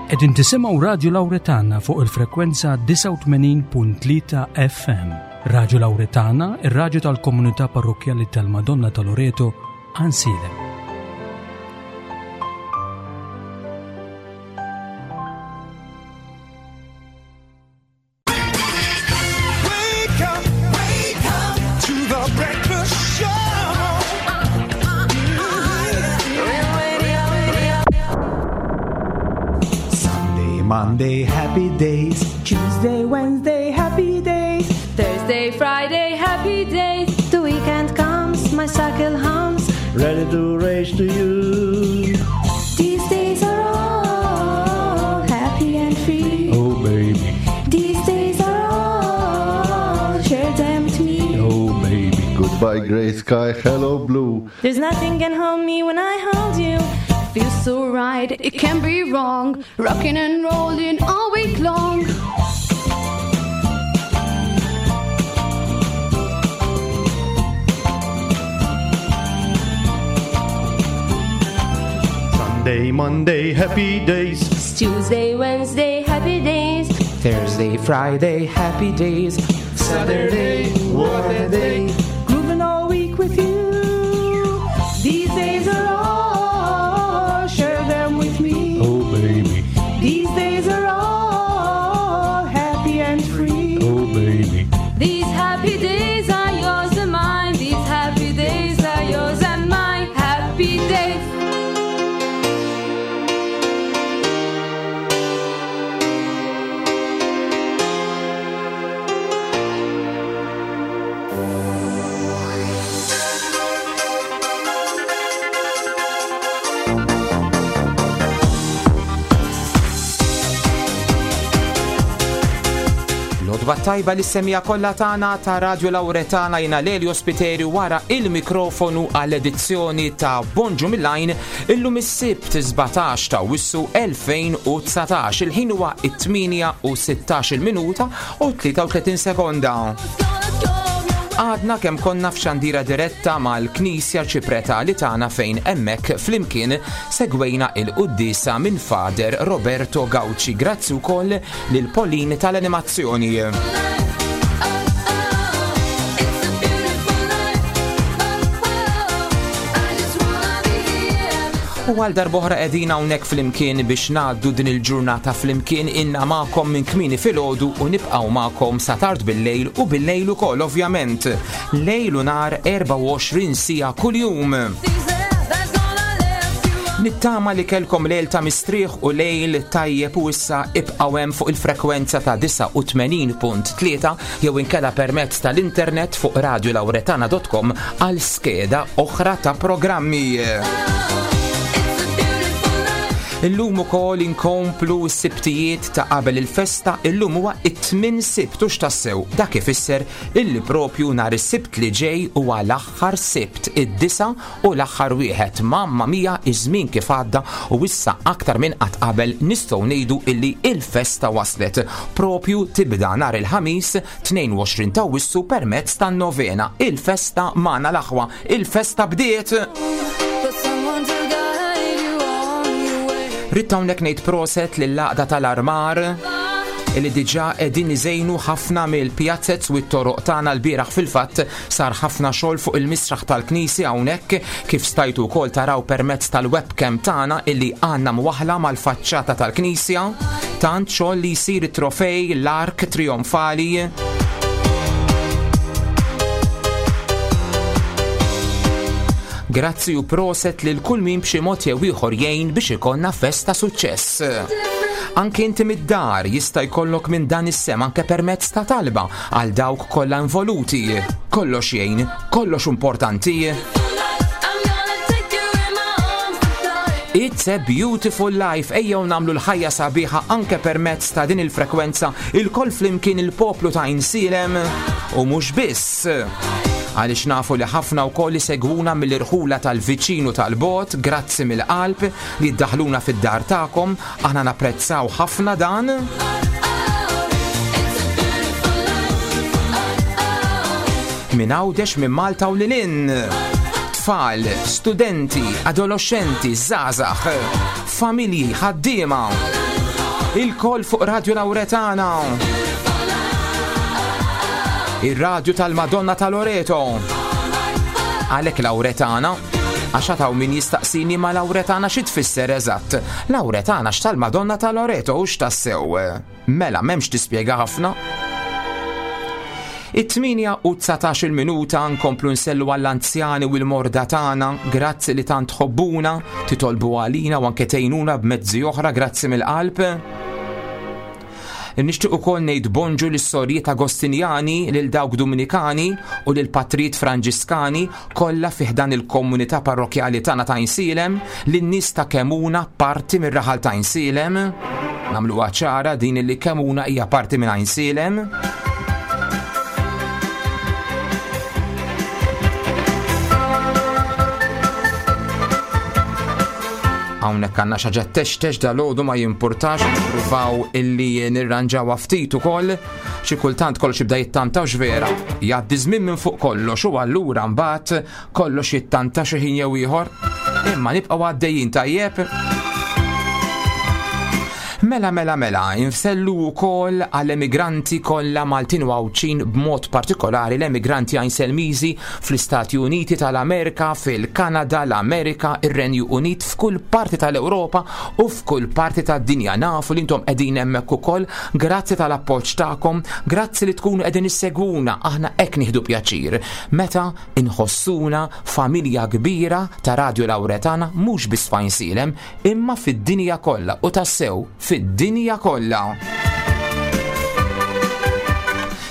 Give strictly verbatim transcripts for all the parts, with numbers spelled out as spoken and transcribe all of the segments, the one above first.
Qegħdin tisimgħu Radio Lauretana fuq il-frekwenza disgħa u tmenin punt tlieta F M. Radio Lauretana, ir-raġu tal-komunità parrokjali tal-Madonna ta' Loreto, Għajnsielem. Wake up, wake up to the breakfast show. Sunday, Monday, happy days. Tuesday, Wednesday, happy days. Thursday, Friday, happy days. The weekend comes, my cycle hums. Ready to race to you. These days are all happy and free. Oh, baby. These days are all, share them with me. Oh, baby. Goodbye, gray sky, hello, blue. There's nothing can hold me when I hold you. Feels so right, it can't be wrong. Rocking and rolling all week long. Sunday, Monday, happy days. It's Tuesday, Wednesday, happy days. Thursday, Friday, happy days. Saturday, what a day. Grooving all week with you. These days are all, share them with me. Oh, baby. These days are all happy and free. Oh, baby. These happy days are yours and mine. These happy days are yours and mine. Happy days. L-għodwa t-tajba lis-semmiegħa kollha tagħna ta' Radio Lauretana. Jiena Lelio Spiteri wara il-mikrofonu għall-edizzjoni ta' Bonġu mill-Għajn illum is-Sibt sbatax ta' Awwissu elfejn u dsatax. Il-ħin huwa it-tmienja u sittax minuta u tlieta u tletin sekonda. Għadna kemm konna f'xandira diretta mal-Knisja Ċipretali tagħna, fejn hemmhekk flimkien segwejna il-quddiesa minn Father Roberto Gauci. Grazzi wkoll lil Pauline tal-animazzjoni. It's a beautiful life. Oh, oh, I just wanna be here. U għal darb'oħra qegħdin hawnhekk flimkien biex ngħaddu din il-ġurnata flimkien inna magħkom minn kmieni filgħodu u nibqgħu magħkom sa tard bil-lejl u bil-lejl ukoll, ovvjament. Lejl u nhar, erbgħa u għoxrin siegħa kuljum. Things that that's gonna lift you up. Nittama li kelkom lejl ta' mistrieħ u lejl tajjeb u issa ibqaw hemm fuq il-frekwenza ta' disgħa u tmenin punt tlieta jew inkella permezz tal-internet fuq radiolauretana punt com għal skeda oħra ta' programmi. It's a beautiful life. Illum ukoll inkomplu s-sibtijiet ta' qabel il-festa. Illum huwa it-tmien Sibt u x'tassew dak ifisser illi propju nhar is-Sibt li ġej huwa l-aħħar Sibt, id-disa' u l-aħħar wieħed. Mamma mia, iż-żmien kif għadda, u issa aktar minn qatt qabel nistgħu ngħidu illi il-festa waslet. Propju tibda nhar il-Ħamis tnejn u għoxrin ta' Awwissu permezz tan-novena. Il-festa magħna l-aħwa, il-festa bdiet! For someone to guide you on your way. Ridt hawnhekk ngħid proset lill-għaqda tal-armar illi diġà qegħdin iżejnu ħafna mill-pjazzez u t-toroq tagħna. L-bieraħ fil-fatt sar ħafna xogħol fuq il-misraħ tal-knisja hawnhekk, kif stajtu wkoll taraw permezz tal-webcam tagħna illi għandna mwaħla mal-faċċata tal-knisja. Tant xogħol li jsir, it-trofej, l-ark trionfali. Grazzi u proset lil kull min b'xi mod jew ieħor jgħin biex ikollna festa suċċess. Anke inti mid-dar jista' jkollok minn dan is-sehem, anke permezz ta' talba għal dawk kollha involuti. Kollox jgħin, kollox importanti. I'm gonna take you in my arms to fly. It's a beautiful life. Ejjew nagħmlu l-ħajja sabiħa anke permezz ta' din il-frekwenza, ilkoll flimkien, il-poplu ta' Għajnsielem u mhux biss. Għaliex nafu li ħafna wkoll isegwuna mill-irħula tal-viċinu tal-bogħod, grazzi mill-qalb li ddaħluna fid-dar tagħkom, aħna napprezzaw ħafna dan. It's a beautiful life. Minn Għawdex, minn Malta u lil hinn. Tfal, studenti, adolescenti, żgħażagħ, familji, ħaddiema. Ilkoll fuq Radio Lauretana. Ir-radju tal-Madonna ta' Loreto. Għalhekk Lauretana, għax għataw min jistaqsini ma Lauretana xi tfisser eżatt. Lauretana x'tal-Madonna ta' Loreto u x'tassew. Mela m'hemmx tispjega ħafna. It-tmienja u dsatax-il minuta nkomplu nsellu għall-anzjani u l-morda tagħna, grazzi li tant tħobbuna, titolbu għalina u anke tgħinuna b'mezzi oħra, grazzi mill-qalb. Nixtieq ukoll ngħid bonġu lis-sorijiet Agostinjani, lil dawk Dominikani u lil patrijiet Franġiskani kollha fi ħdan il-komunità parrokjali tagħna ta' Għajnsielem, lin-nies ta' Kemuna parti mir-raħal ta' Għajnsielem. Nagħmluha ċara din li Kemuna hija parti minn Għajnsielem. Hawnhekk għandna xi ħaġa textex dal-għodu ma jimpurtax, nippruvaw illi nirranġawha ftit ukoll. Xi kultant kollox jibda jittanta u x'vera. Jgħaddi żmien minn fuq kollox u allura mbagħad kollox jittanta xi ħin jew ieħor. Imma nibqgħu għaddejjin tajjeb. Mela, mela, mela, insellu wkoll għall-emigranti kollha Maltin u Għawdxin, b'mod partikolari l-emigranti Għajnselmiżi fl-Istati Uniti tal-Amerika, fil-Kanada, l-Amerika, ir-Renju Unit, f'kull parti tal-Ewropa u f'kull parti tad-dinja. Nafu li intom qegħdin hemmhekk ukoll, grazzi tal-appoġġ tagħkom, grazzi li tkunu qegħdin issegwuna, aħna hekk nieħdu pjaċir. Meta inħossuna familja kbira ta' Radio Lauretana, mhux biss f'Għajnsielem, imma fid-dinja kollha u tassew fid-dinja kollha.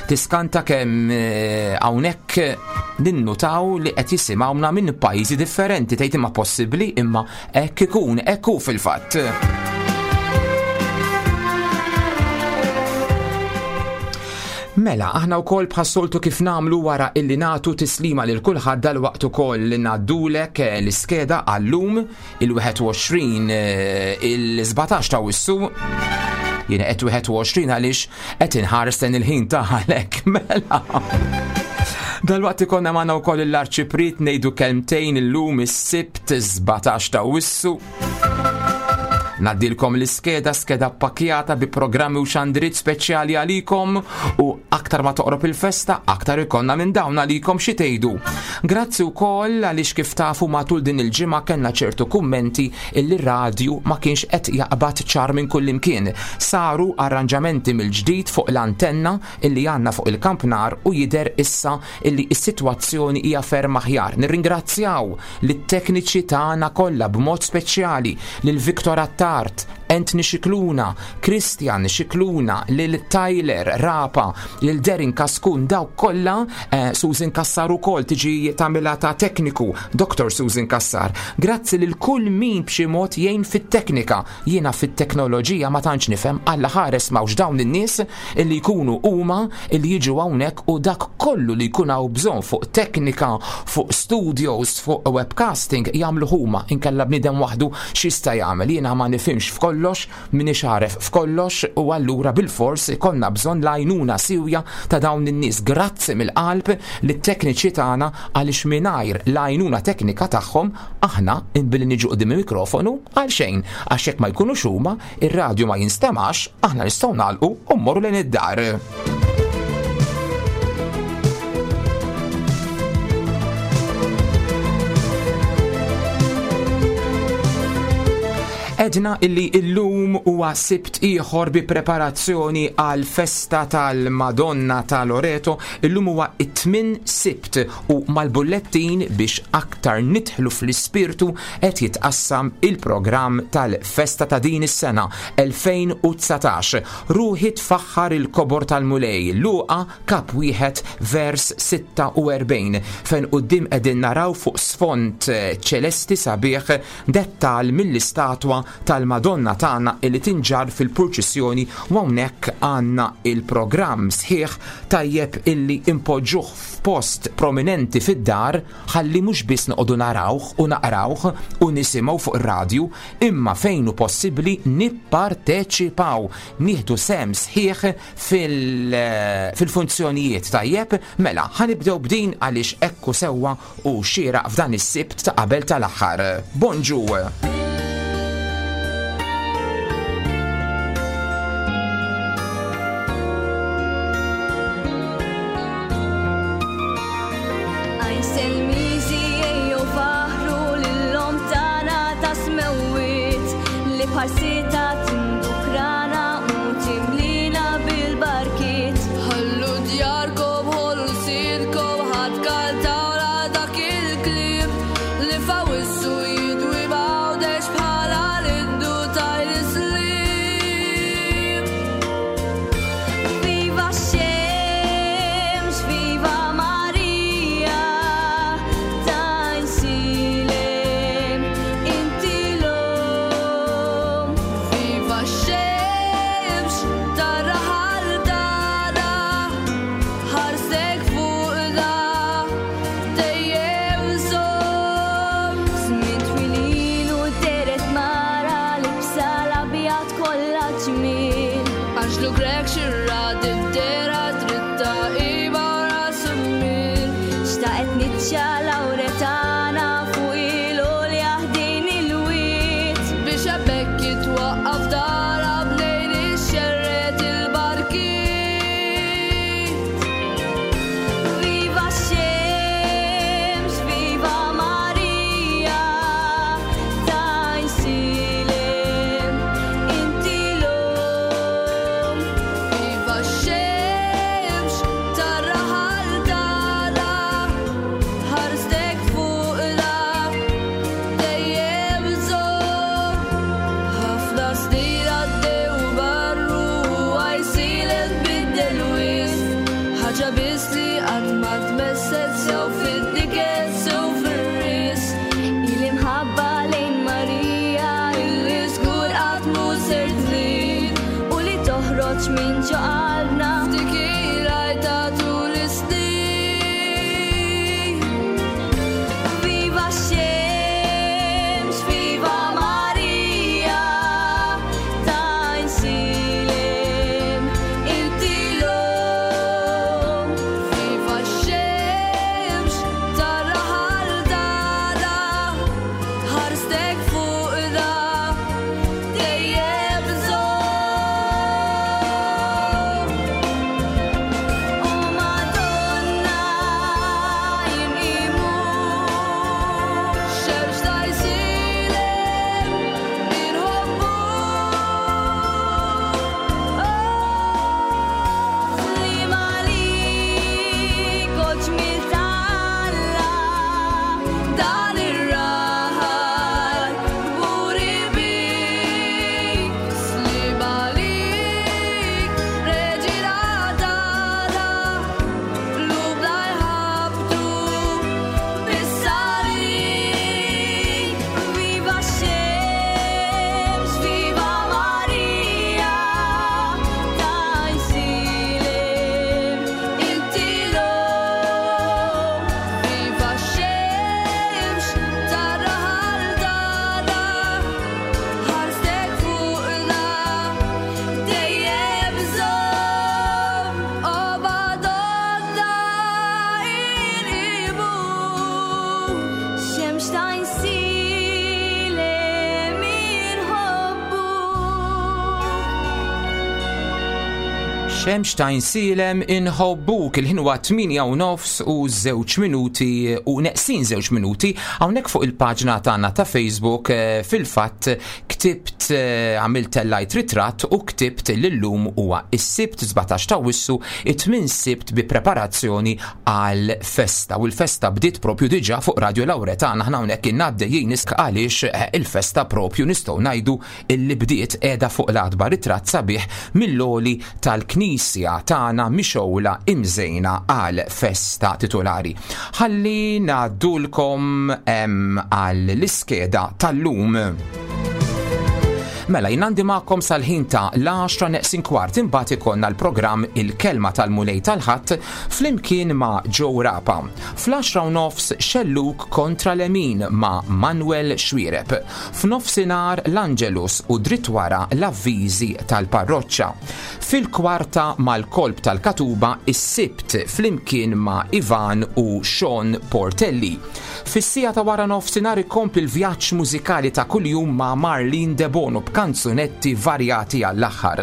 Tiskanta kemm, eh, hawnhekk ninnutaw li qed jisimgħuna minn pajjiżi differenti, tgħid imma possibbli, imma hekk ikun, hekk hu fil-fatt. Mela, aħna wkoll bħas-soltu kif nagħmlu wara illi nagħtu tislima lil kulħadd dal-waqt ukoll li ngħaddulek, eh, l-iskeda għallum il-wieħed u għoxrin, eh, il-sbatax ta' Awwissu. Jiena qed wieħed u għoxrin għaliex qed inħares lejn il-ħin ta' għalhekk, mela. Dal-waqt ikonna magħna wkoll l-Arċipriet ngħidu kelmtejn illum is-Sibt sbatax ta' Awwissu. Naddilkom l-iskeda, skeda pakjata bi programmi u xandrit speċjali għalikom u aktar ma toqrob il-festa, aktar ikonna minn dawn għalikom xi tgħidu. Grazzi wkoll għaliex kif tafu matul din il-ġimgħa kellna ċertu kummenti illi r-radju ma kienx qed jaqbad ċar minn kullimkien. Saru arranġamenti mill-ġdid fuq l-antenna illi għandna fuq il-kampnar u jidher issa illi s-sitwazzjoni hija ferm aħjar. Nirringrazzjaw lit-tekniċi tagħna kollha b'mod speċjali lil Victor Attard, Anthony Scicluna, Christian Scicluna, lil Tyler Rapa, lil Derin Kaskun, dawk kollha, eh, Susan Kassar ukoll tiġi tagħmilha ta' tekniku, Doktor Susan Kassar. Grazzi lil kull min b'xi mod jgħin fit-teknika. Jiena fit-teknoloġija ma tantx nifhem, Alla ħares m'hawnx dawn in-nies illi jkunu huma illi jiġu hawnhekk u dak kollu li jkun hawn bżonn fuq teknika, fuq studios, fuq webcasting jagħmlu huma, inkella bniedem waħdu x'jista' jagħmel. Jiena ma nifhimx f'kollox, minix għaref f'kollox u allura bil-fors ikollna bżonn l-għajnuna siwja ta' dawn in-nies. Grazzi mill-qalb lit-tekniċi tagħna għaliex mingħajr l-għajnuna teknika tagħhom aħna billi niġu quddiem il-mikrofonu għal xejn, għax jekk ma jkunux huma, ir-radju ma jinstemax, aħna nistgħu nagħlqu u mmorru lejn id-dar. Edna illi illum huwa Sibt ieħor bi preparazzjoni għal festa tal-Madonna ta' Loreto. Illum huwa it-tmien Sibt u mal-bullettin biex aktar nidħlu fl-ispirtu qed jitqassam il-programm tal-festa ta' din is-sena elfejn u dsatax. Ruħi tfaħħar il-kobor tal-Mulej, Luqa kap wieħed vers sitta u erbgħin, fejn quddiem qegħdin naraw fuq sfond ċelesti sabiħ dettal mill-istatwa tal-Madonna tagħna illi tinġar fil-purċissjoni, u hawnhekk għandna il-programm sħiħ tajjeb illi impoġġuh f'post prominenti fid-dar ħalli mhux biss noqogħdu narawh u naqrawh u nisimgħu fuq ir-radju, imma fejn hu possibbli nipparteċipaw, nieħdu sehem sħiħ fil-, fil-funzjonijiet tajjeb. Mela, ħanibdew b'din għaliex ekku sewwa u xieraq f'dan is-Sibt ta' qabel tal-aħħar. Bonġu! Ħarsita tindukrana u timlina bil-barkiet. Ħallu djarkom, ħollu lsienkom, ħadd kantawla dak il-kliem li f'Awwissu jidwi m'Għawdex bħala l-innu tal-Islim. Viva x-xemx, viva Marija, t'Għajnsielem, inti l-omm. Viva x-xemx tar-raħal tagħna, ħarstek fuqna dejjem żomm. Żmien twil ilu dehret mara libsa l-abjad kollha ġmiel. Anġlu Grech xirra did-dehra dritta iva ras immil. Xtaqet niċċa Lawretana fuq il-għolja ħdejn il-wied. Biex hemmhekk jitwaqqaf dara bnejn ixxerred il-barkiet. Viva x-xemx, viva Marija, t'Għajnsielem, inti l-omm. Viva x-xemx tar-raħal tagħna, ħarstek fuqna dejjem żomm. Ħafna snin għaddew marru Għajnsielem tbiddel wisq, ħaġa biss li qatt ma tmesset sew fin-niket sew fir-risq. Il-imħabba lejn Marija Illi żgur qatt mhu ser trid u li toħroġ minn ġo qalbna. F'dik il-għajta tul is-snin. Viva x-xemx, viva Marija, t'Għajnsielem, inti l-omm. Viva x-xemx tar-raħal tagħna, ħarstek fuqna dejjem żomm. O Madonna, inqimuk. Xemx t'Għajnsielem inħobbuk. Sliem għalik, o ġmiel t'Alla, Dan ir-raħal kburi bik, sliem għalik, reġina tagħna, qlubna jħabbtu bis-salib. Viva x-xemx, viva Marija, t'Għajnsielem, inti l-omm. Viva x-xemx tar-raħal tagħna, ħarstek fuqna dejjem żomm. O Madonna inqimuk. Xemx t'Għajnsielem inħobbuk. Xemx t'Għajnsielem inħobbuk. Il-ħin huwa tmienja u nofs u żewġ minuti u neqsin żewġ minuti. Hawnhekk fuq il-paġna tagħna ta' Facebook eh, fil-fatt ktibt, eh, għamilt tellajt ritratt u ktibt l-lum huwa is-Sibt sbatax ta' Awwissu, it-tmien Sibt bi preparazzjoni għal festa, u l-festa bdiet propju diġà fuq Radio Lawretana. Aħna hawnhekk innabdejjin għaliex eh, il-festa propju nistgħu ngħidu illi bdiet qiegħda fuq l-għatba. Ritratt sabiħ mill-għoli tal-knisja tagħna mixgħula imżejna għal festa titolari. Ħalli ngħaddulkom għal l-iskeda tal-lum. Mela, jien għandi magħkom sal-ħin ta' l-għaxra neqsin kwart, imbagħad ikollna l-programm Il-Kelma tal-Mulej tal-Ħadd flimkien ma' Joe Rapa. Fl-għaxra u nofs Xelluk kontra Lemin ma' Manuel Xwireb. F'nofsinhar l-Angelus u dritt wara l-avviżi tal-parroċċa. Fil-kwarta mal-kolb tal-Katuba is-Sibt flimkien ma' Ivan u Sean Portelli. Fis-siegħa ta' wara nofsinhar ikompli l-vjaġġ mużikali ta' kuljum ma' Marlene De Bono b'kanzunetti varjati għall-aħħar.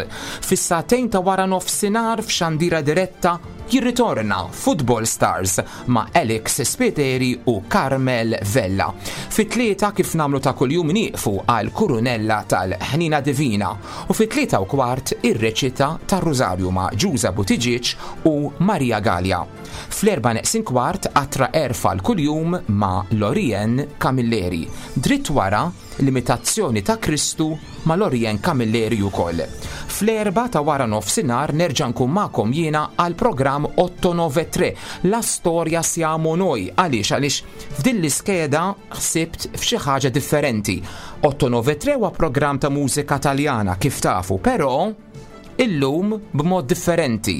Fis-sagħtejn ta' wara nofsinhar f'xandira diretta jirritorna Football Stars ma' Alex Spiteri u Carmel Vella. Fit-tlieta kif nagħmlu ta' kuljum nieqfu għal Kurunella tal-Ħnina Divina u fit-tlieta u kwart ir-reċita tar-Rużarju ma' Ġuża Buttigieg u Maria Gallia. Fl-erba' neqsin kwart qatra erfa l-kuljum ma' Lorien Camilleri. Dritt wara l-imitazzjoni ta' Kristu ma' Lorien Camilleri ukoll. Fl-erba' ta' wara nofsinhar nerġa' nkun magħkom jiena għal programm otto nove tre La Storia Siamo Noi. Għaliex? Għaliex f'din l-iskeda ħsibt f'xi ħaġa differenti. Otto nove tre huwa programm ta' mużika Taljana kif tafu, però illum b'mod differenti.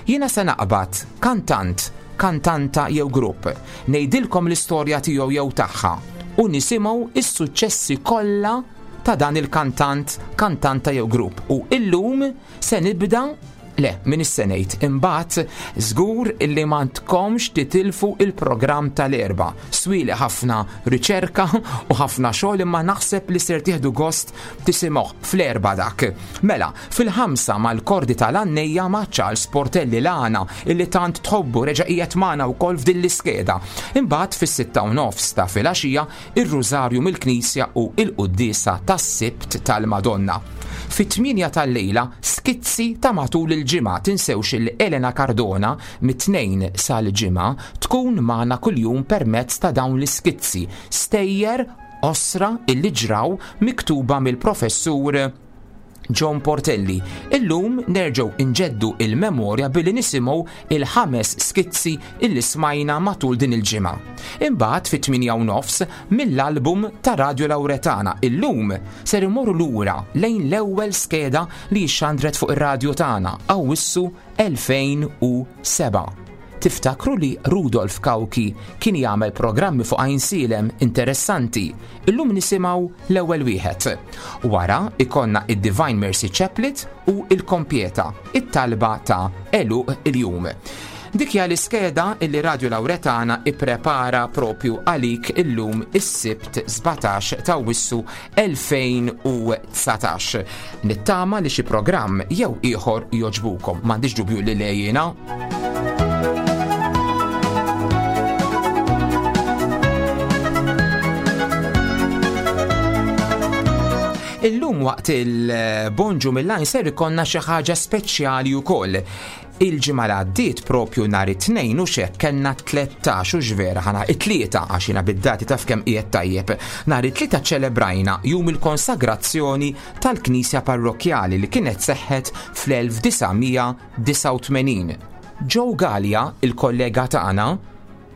Jiena se naqbad kantant, kantanta jew grupp, ngħidilkom l-istorja tiegħu jew tagħha u nisimgħu is-suċċessi kollha ta' dan il-kantant, kantanta jew grupp. U illum se nibda, le, min is-senejt, imbagħad żgur illi m'għandkomx titilfu il-programm tal-erba. Swili ħafna riċerka u ħafna xogħol imma naħseb li ser tieħdu gost tisimgħu fl-erba dak. Mela, fil-ħamsa mal-kordi tal-annejja ma' Charles Portelli l-għana illi tant tħobbu reġa' qiegħed magħna wkoll f'din l-iskeda. Imbagħad fis-sitta u nofs ta' filgħaxija ir-Rużarju mill-Knisja u il-Quddiesa tas-Sibt tal-Madonna. Fit-tmienja tal-lejla skizzi ta' matul il-ġimgħa. Tinsewx il Elena Cardona mit-tnejn sal-ġimgħa tkun magħna kuljum permezz ta' dawn l-iskizzi, stejjer osra illi ġraw miktuba mill-professur John Portelli. Illum nerġgħu inġeddu il-memorja billi nisimgħu il-ħames skizzi illi smajna matul din il-ġimgħa. Imbagħad fit-tmienja u nofs mill-album ta' Radio Lauretana. Illum ser imorru lura lejn l-ewwel skeda li xandret fuq ir-radju tagħna Awwissu elfejn u seba'. Tiftakru li Rudolf Cauchi kien jagħmel programmi fuq Għajnsielem interessanti. Illum nisimgħu l-ewwel wieħed. Wara ikonna id-Divine Mercy Chaplet u il-Kompieta, it-talba ta' għeluq il-jum. Dik hija l-iskeda illi Radio Lauretana ipprepara propju għalik illum is-Sibt sbatax ta' Awwissu elfejn u dsatax. Nittama li xi programm jew ieħor joġbukom. M'għandix dubju li lejjina. Illum waqt il-Bonġu mill-Għajn ser ikonna xi ħaġa speċjali wkoll. Il-ġimgħa li għaddiet propju nhar it-tnejn u xek kellna tlettax u x'vera ħana it-tlieta għax jiena bid-dati taf kemm qiegħed tajjeb. Nhar it-tlieta ċelebrajna jum il-konsagrazzjoni tal-Knisja Parrokkjali li kienet seħħet fl-elf disa' mija disgħa u tmenin. Joe Gallia, il-kollega tagħna,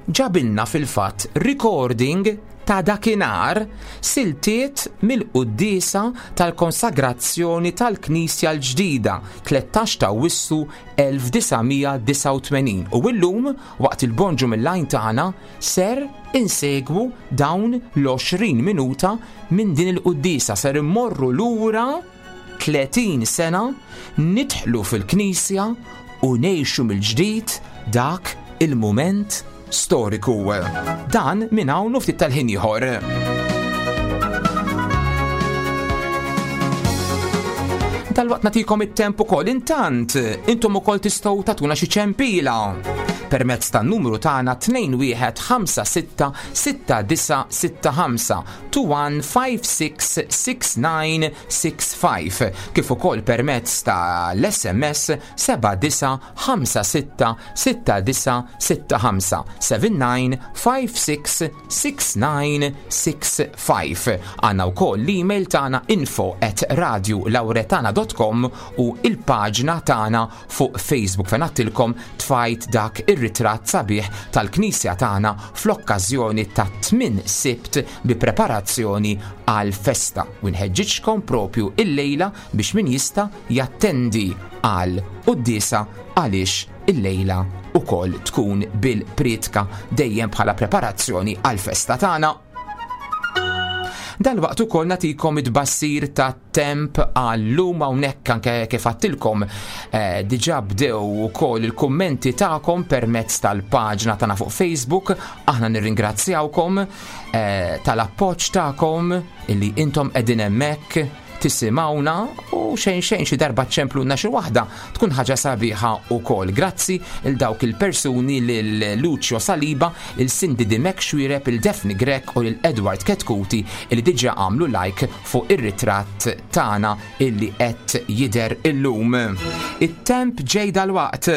ġabilna fil-fatt recording ta' dakinhar siltiet mill-quddiesa tal-konsagrazzjoni tal-Knisja l-ġdida tlettax ta' Awwissu elf disa' mija disgħa u tmenin. U illum waqt il-Bonġu mill-Għajn tagħna ser insegwu dawn l-għoxrin minuta minn din il-quddiesa, ser immorru lura tletin sena, nidħlu fil-Knisja u ngħixu mill-ġdid dak il-mument storiku. Dan minn hawn u ftit tal-ħin ieħor. Dalwaqt nagħtikom it-temp ukoll. Intant, intom ukoll tistgħu tagħtuna xi ċempila permezz tan-numru tagħna tnejn wieħed ħamsa sitta sitta disa' sitta ħamsa, two one five six six nine six five, kif ukoll permezz tal-S M S seba' disa' ħamsa sitta sitta disa' sitta ħamsa, seven nine five six six nine six five. Għandna wkoll l-email tagħna info at radio lauretana dot com u il-paġna tagħna fuq Facebook fejn għattilkom tfajt dak ir-ritratt sabiħ tal-Knisja tagħna fl-okkażjoni ta' tmien Sibt bi preparazzjoni għal festa. U nħeġġiġkom propju il-lejla biex min jista' jattendi għal quddiesa għaliex il-lejla ukoll tkun bil-priedka dejjem bħala preparazzjoni għal festa tagħna. Dalwaqt ukoll nagħtikom it-tbassir ta' temp għallum hawnhekk anke kif għattilkom, eh, diġà bdew ukoll il-kummenti tagħkom permezz tal-paġna tagħna fuq Facebook. Aħna nirringrazzjawkom, eh, tal-appoġġ tagħkom illi intom qegħdin hemmhekk tisimgħuna u xejn xejn xi darba ċemplunna xi waħda tkun ħaġa sabiħa wkoll. Grazzi il dawk il-persuni lil Lucio Saliba, il Cindy Dimek Xwireb, il Daphne Grek u lil Edward Ketkuti li diġà għamlu like fuq ir-ritratt tagħna illi qed jidher illum. It-temp ġej dalwaqt.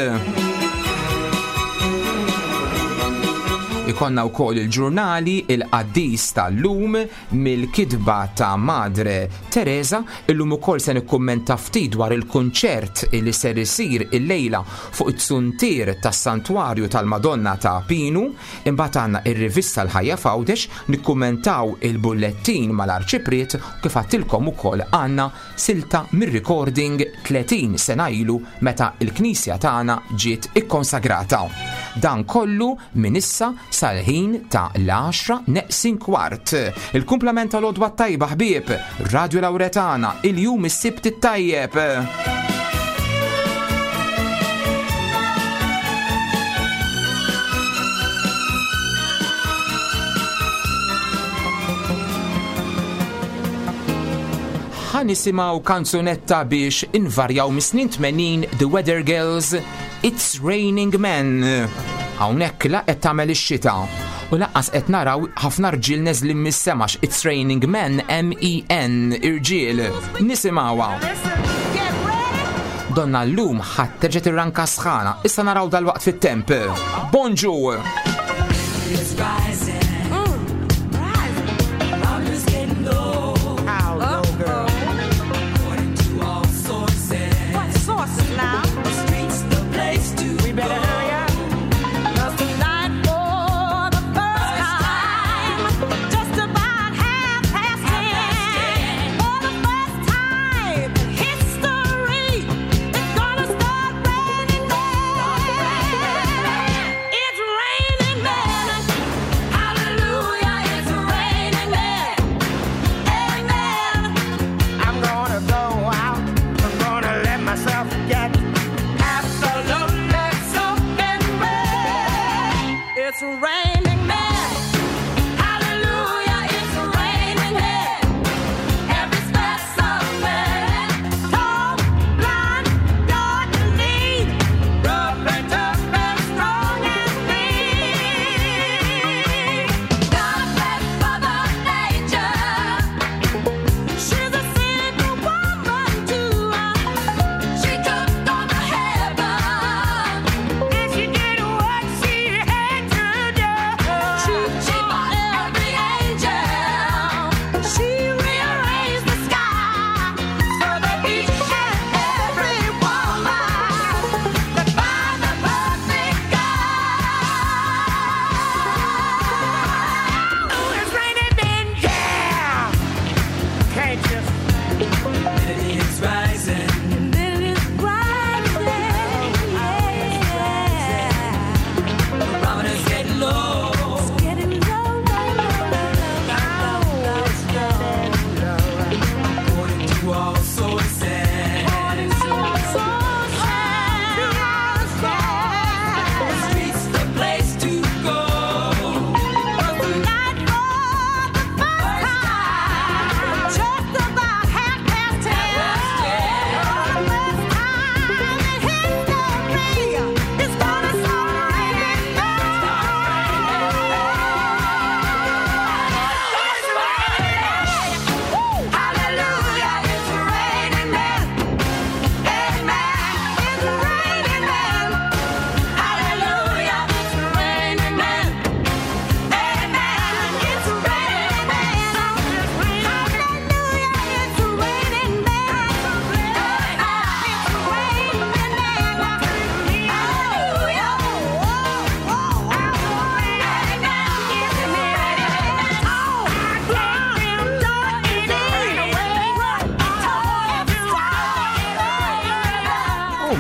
Ikonna wkoll il-ġurnali il-qaddis tal-lum mill-kitba ta' Madre Teresa. Illum ukoll se nikkummenta ftit dwar il-kunċert li ser isir illejla fuq it-suntier tas-Santwarju tal-Madonna ta' Pinu. Imbagħad għandna ir-rivista l-Ħajja f'Għawdex, nikkummentaw il-bullettin mal-Arċipriet, kif għattilkom ukoll għandna silta mir-recording tletin sena ilu meta l-Knisja tagħna ġiet ikkonsagrata. Dan kollu minn issa sal-ħin ta' l-għaxra neqsin kwart. Il-kumplament tal-għodwa tajba ħbieb, Radio Lauretana, il-jum is-Sibt it-tajjeb. Ħa nisimgħu kanzunetta biex invarjaw mis-snin tmenin, The Weather Girls, It's Raining Men. Hawnhekk la qed tagħmel ix-xita u lanqas qed naraw ħafna rġiel neżlin mis-sema It's Raining Men, M E N, irġiel. Nisimgħuha. Donna llum ħadd terġa' tirranka sħana. Issa naraw dal-waqt fit-temp. Bonġu! It's rising. It's raining men.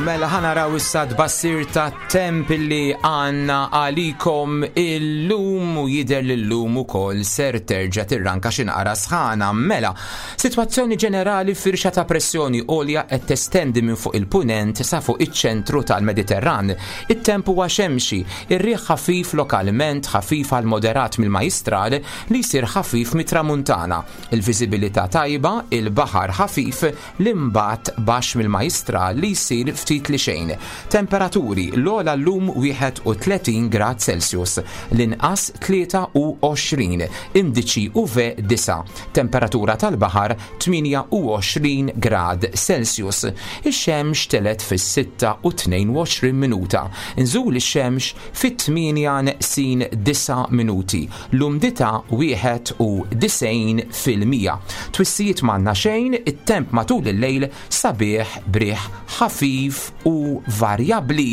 Mela ħa naraw issa tbassir ta' temp li għandna għalikom illum u jidher li llum ukoll ser terġa' tirranka xi naqra sħana. Mela, sitwazzjoni ġenerali, firxa ta' pressjoni għolja qed testendi minn fuq il-punent sa fuq iċ-ċentru tal-Mediterran. It-temp huwa xemxi, ir-riħ ħafif lokalment, ħafif għal moderat mill-Majstral li jsir ħafif mit-Tramuntana. Il-viżibilità tajba, il-baħar ħafif, l-imbat baxx mill-Majstral li jsir ftit li xejn. Temperaturi, l-ogħla llum wieħed u tletin grad Celsius, l-inqas tlieta u għoxrin, indiċi U V disgħa, temperatura tal-baħar tmienja u għoxrin grad Celsius. Ix-xemx telgħet fis-sitta u tnejn u għoxrin minuta. Nżul ix-xemx fit-tmienja neqsin disa' minuti. L-umdità wieħed u disgħin fil-mija. Twissijiet m'għandna xejn, it-temp matul il-lejl sabiħ b'riħ ħafif u varjabli.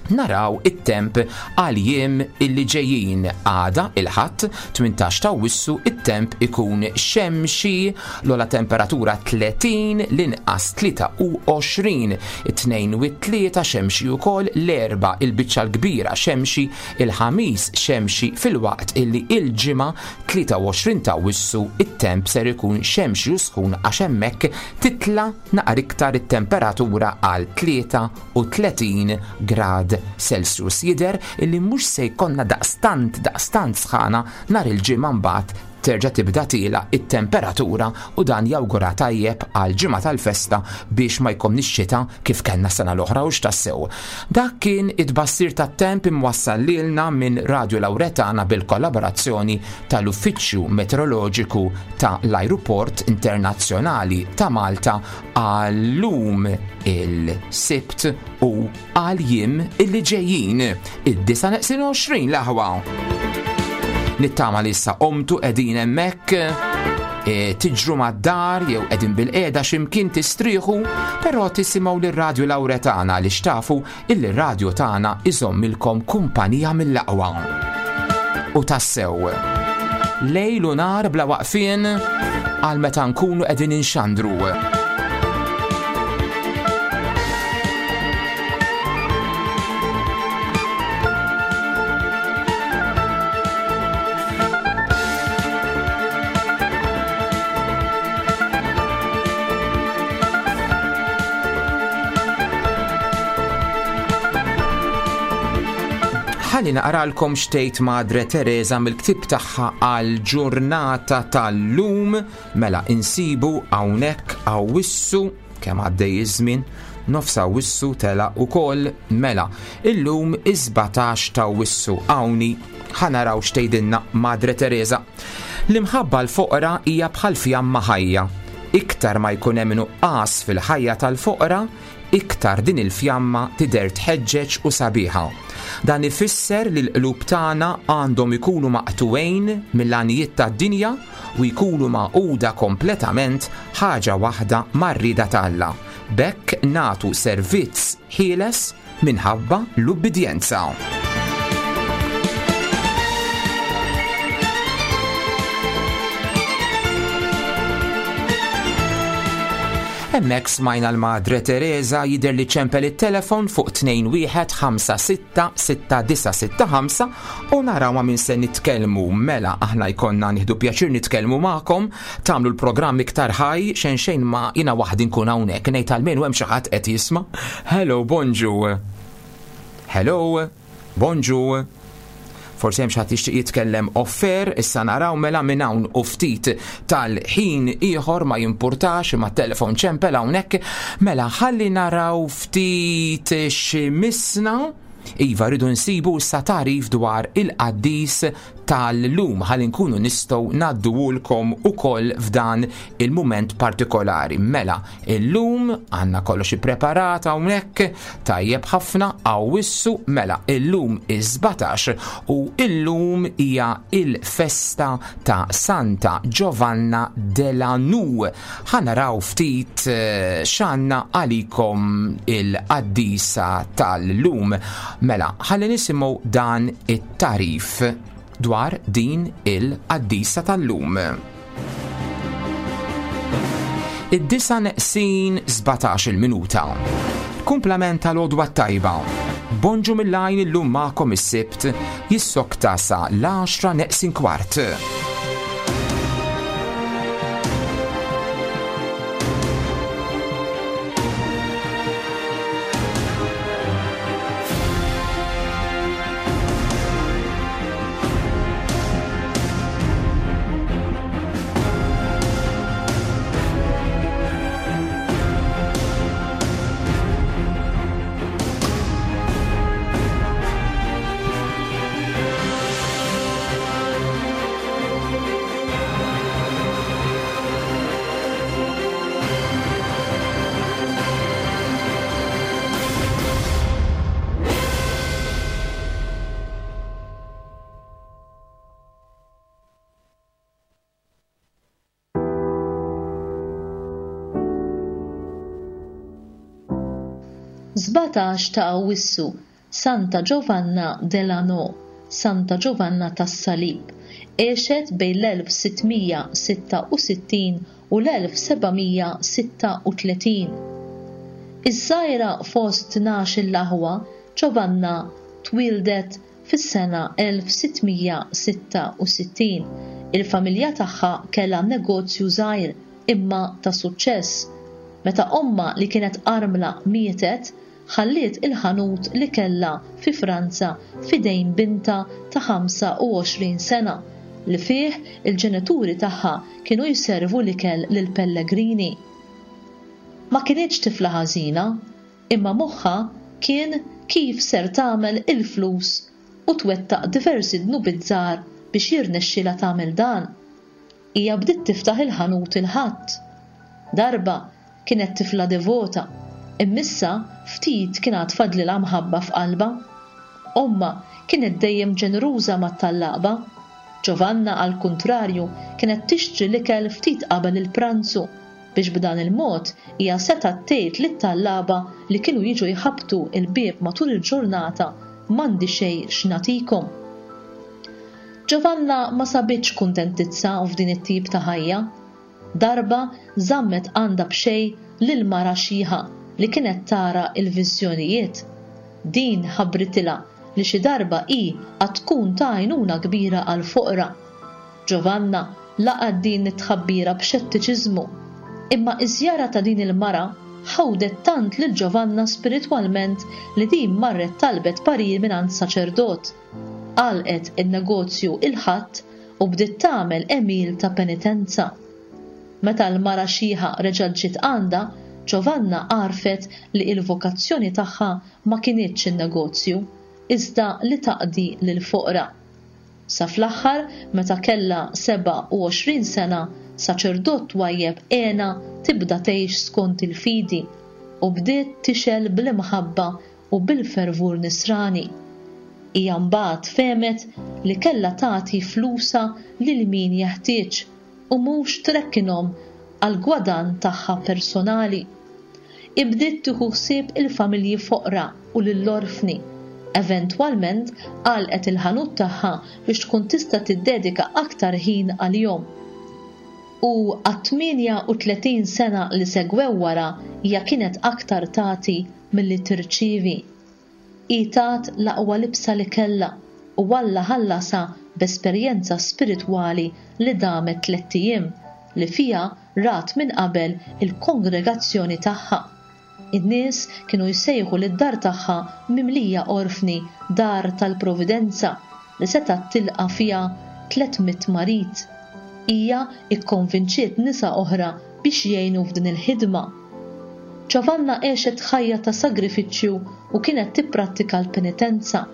Naraw it-temp għal jiem illi ġejjin. Għada il-Ħadd tmintax ta' Awwissu, it-temp ikun xemxi, l-ogħla temperatura tletin, l-inqas tlieta u għoxrin, it-Tnejn u t-Tlieta xemxi ukoll, l-Erbgħa il-biċċa l-kbira xemxi, il-Ħamis xemxi, filwaqt illi il-Ġimgħa tlieta u għoxrin ta' Awwissu it-temp ser ikun xemxi u sħun għax hemmhekk titla naqra iktar it-temperatura għal tlieta u tletin grad Celsius. Jidher illi mhux se jkollna daqstant daqstant sħana nhar il-Ġimgħa, mbagħad terġa' tibda tiela it-temperatura u dan jawgura tajjeb għal ġimgħa tal-festa biex ma jkollniex xita kif kellna sena l-oħra u x'tassew. Dak kien it-tbassir tat-temp imwassal lilna minn Radio Lauretana bil-kollaborazzjoni tal-Uffiċċju Meteoroloġiku ta' l-Ajruport Internazzjonali ta' Malta għal-lum il-Sibt u għal jiem illi ġejjin, id-disgħa neqsin għoxrin, l-aħwa. Nittama li issa qomtu, qegħdin hemmhekk e, tiġru mad-dar jew qegħdin bilqiegħda x'imkien tistrieħu, però tisimgħu lir-Radju Lauretana li xtafu illi r-radju tagħna iżommilkom kumpanija mill-aqwa. U tassew, lejl u nhar bla waqfien għal meta nkunu qegħdin inxandru. Ħalli naqralkom x'tgħid Madre Teresa mill-ktib tagħha għal ġurnata tal-lum. Mela insibu hawnhekk Awwissu, kemm għaddej iż-żmien, nofs Awwissu tela ukoll. Mela, illum is-sbatax ta' Awwissu, hawnhi ħa naraw x'tgħidilna Madre Teresa. L-imħabba l-foqra hija bħal fjamma ħajja. Iktar ma jkun hemm nuqqas fil-ħajja tal-foqra, iktar din il-fjamma tidher tħeġġeġ u sabiħa. Dan ifisser li l-qlub tagħna għandhom ikunu maqtugħin mill-għanijiet tad-dinja u jkunu magħquda kompletament ħaġa waħda mar-rieda t'Alla. B'hekk nagħtu servizz ħieles minħabba l-ubbidjenza. Hemmhekk smajna l-Madre Teresa. Jidher li ċempel it-telefon fuq tnejn wieħed ħamsa sitta sitta disa' sitta ħamsa u naraw ma' min se nitkellmu. Mela aħna jkollna nieħdu pjaċir nitkellmu magħkom, tagħmlu l-programm iktar ħaj, xejn xejn ma jiena waħdi nkun hawnhekk ngħid almenu hemm xi ħadd qed jisma'. Hello, bonġu. Hello, bonġu. Forsi hemm xi ħadd jixtieq jitkellem off-air, issa naraw. Mela minn hawn u ftit tal-ħin ieħor, ma jimpurtax, imma telefon ċempel hawnhekk. Mela ħalli naraw ftit x'imissna. Iva, rridu nsibu issa tagħrif dwar il-qaddis tal-lum ħalli nkunu nistgħu ngħadduhulkom ukoll f'dan il-mument partikolari. Mela, illum għandna kollox ippreparat hawnhekk, tajjeb ħafna, Awwissu, mela illum is-sbatax u illum hija il-festa ta' Santa Giovanna Delanoue. Ħa naraw ftit eh, x'għandna għalikom il-qaddisa tal-lum. Mela, ħalli nisimgħu dan it-tagħrif dwar din il-qaddisa tal-lum. Id-disgħa neqsin sbatax il-minuta. Kumplament tal-għodwa tajba. Bonġu mill-għajn illum magħkom is-Sibt jissokta sa l-għaxra neqsin kwart. Sbatax ta' Awwissu, Santa Giovanna Delano, Santa Giovanna tas-Salib, għexet bejn l-elf sittmija sitta u sittin u l-elf sebgħamija sitta u tletin. Iż-żgħira fost tnax-il aħwa, Giovanna twildet fis-sena elf sittmija sitta u sittin. Il-familja tagħha kellha negozju żgħir imma ta' suċċess. Meta omma li kienet armla mietet, ħalliet il-ħanut li kellha fi Franza f'idejn binta ta' ħamsa u għoxrin sena li fih il-ġenituri tagħha kienu jservu l-ikel lil pellegrini. Ma kinitx tifla ħażina, imma moħħha kien kif ser tagħmel il-flus u twettaq diversi dnubiet żgħar biex jirnexxilha tagħmel dan. Hija bdiet tiftaħ il-ħanut il-Ħadd. Darba kienet tifla devota, immissa ftit kien għad fadlilha mħabba f'qalbha. Omma kienet dejjem ġeneruża mat-tallaqba. Giovanna għal kuntrarju kienet tixtri l-ikel ftit qabel il-pranzu biex b'dan il-mod hija setgħet tgħid lit-tallaba li kienu jiġu jħabtu il-bieb matul il-ġurnata m'għandi xejn x'nagħtikom. Giovanna ma sabitx kuntentizza f'din it-tip ta' ħajja. Darba żammet għandha b'xejn lil mara xiħa li kienet tara il-viżjonijiet. Din ħabritilha li xi darba hi għad tkun ta' għajnuna kbira għal foqra. Giovanna laqgħet din it-tħabbira b'xettiċiżmu, imma iż-żjara ta' din il-mara ħawdet tant lil Giovanna spiritwalment li din marret talbet parir mingħand saċerdot. Għalqet in-negozju il-Ħadd u bdiet tagħmel għemil ta' penitenza. Meta l-mara xiħa reġgħet ġiet għandha, Giovanna għarfet li il-vokazzjoni tagħha ma kinitx in-negozju, iżda li taqdi lil foqra. Sa fl-aħħar, meta kellha seba' u għoxrin sena, saċerdot twajjeb għena tibda tgħix skont il-fidi u bdiet tixel bl-imħabba u bil-fervur nisrani. Hija mbagħad fehmet li kellha tagħti flusha lil min jeħtieġ u mhux trekkinhom għal gwadan tagħha personali. Ibdiet tieħu ħsieb il-familji foqra u lill-orfni. Eventwalment għalqet il-ħanut tagħha biex tkun tista' tiddedika aktar ħin għalihom. U għat-tmienja u tletin sena li segwew wara hija kienet aktar tagħti milli tirċievi. Hi tat l-aqwa libsa li kellha u Alla ħallasha b'esperjenza spiritwali li damet tlett ijiem li fiha rat minn qabel il-kongregazzjoni tagħha. In-nies kienu jsejħu lid-dar tagħha mimlija orfni dar tal-Providenza li setgħet tilqa' fiha tliet mitt marid. Hija ikkonvinċiet nisa oħra biex jgħinu f'din il-ħidma. Giovanna għexet ħajja ta' sagrifiċċju u kienet tipprattika l-penitenza.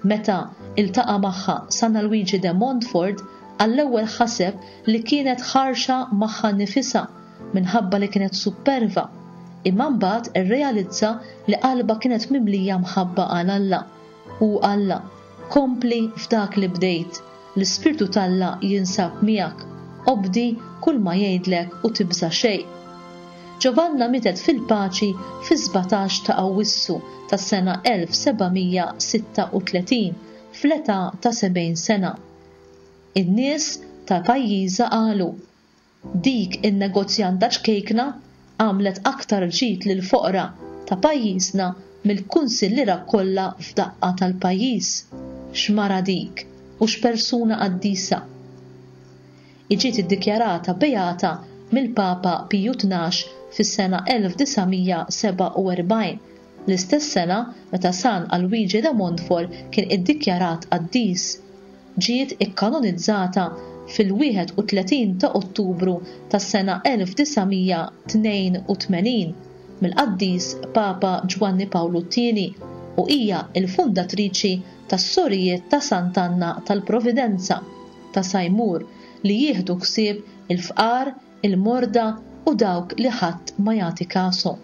Meta iltaqa' magħha San Luigi de Montfort, għall-ewwel ħaseb li kienet ħarxa magħha nifisha minħabba li kienet superva, imma mbagħad irrealizza li qalbha kienet mimlija mħabba għal Alla. U Alla, kompli f'dak li bdejt, l-Ispirtu t'Alla jinsab miegħek, obdi kull ma jgħidlek u tibża' xejn. Giovanna mietet fil-paċi fi-sbatax ta' Awwissu tas-sena elf sebgħamija sitta u tletin fl-età ta' sebgħin sena. In-nies ta' pajjiżha qalu, dik in-negozjanta ċkejkna għamlet aktar ġid lil foqra ta' pajjiżna mill-kunsilliera kollha f'daqqa tal-pajjiż. X'mara dik u x'persuna qaddisa. Ġiet iddikjarata beata mill-Papa Piju Tnax fis-sena elf disa' mija sebgħa u erbgħin, l-istess sena meta San Alwiġi de Montfort kien iddikjarat qaddis. Ġiet ikkanonizzata fil-wieħed u tletin ta' Ottubru tas-sena elf disa' mija tnejn u tmenin mill-qaddis Papa Ġwanni Pawlu t-tieni u hija l-fundatriċi tas-sorijiet ta' Sant'Anna tal-Providenza ta' Sajmur li jieħdu ħsieb il-fqar, il-morda u dawk li ħadd ma jagħti kasu.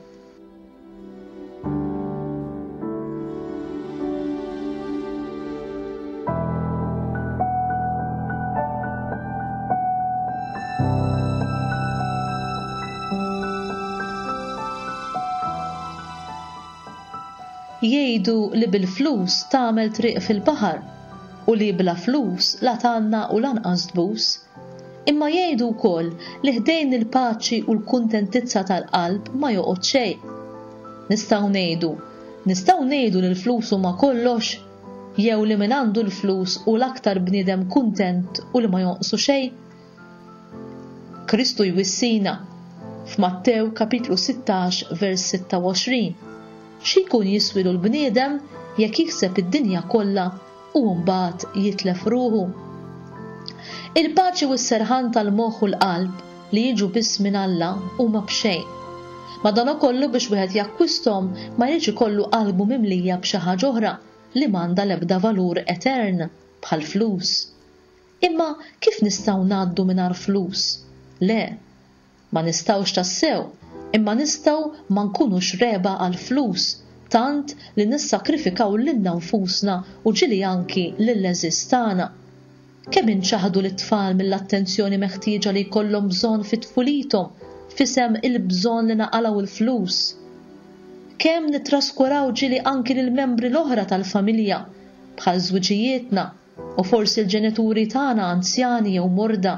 Jgħidu li bil-flus tagħmel triq fil-baħar u li bla flus la tgħanna u lanqas tbus. Imma jgħidu wkoll li ħdejn il-paċi u l-kuntentizza tal-qalb ma joqgħod xejn. Nistgħu ngħidu, nistgħu ngħidu li l-flus huma kollox, jew li min għandu l-flus u l-aktar bniedem kuntent u li ma jonqsu xejn. Kristu jwissina f'Mattew kapitlu sittax vers sitta u għoxrin. Xi jkun jiswilu l-bniedem jekk jikseb id-dinja kollha u mbagħad jitlef ruħu? Il-paċi u s-serħan tal-moħħ u l-qalb li jiġu biss minn Alla huma b'xejn. Madankollu biex wieħed jakkwisthom ma jridx ikollu qalbu mimlija b'xi ħaġa oħra li m'għandha l-ebda valur etern bħal flus. Imma kif nistgħu ngħaddu mingħajr flus? Le, ma nistgħux tassew, imma nistgħu ma nkunux reba għal flus, tant li nissakrifikaw lilna nfusna u ġili anki lill-għeżież tagħna. Kemm inċaħdu lit-tfal mill-attenzjoni meħtieġa li jkollhom bżonn fi tfulithom, f'isem il-bżonn li naqalgħu l-flus. Kemm nittraskuraw ġili anki lill-membri l-oħra tal-familja, bħal żwiġijietna u forsi l-ġenituri tagħna anzjani jew morda.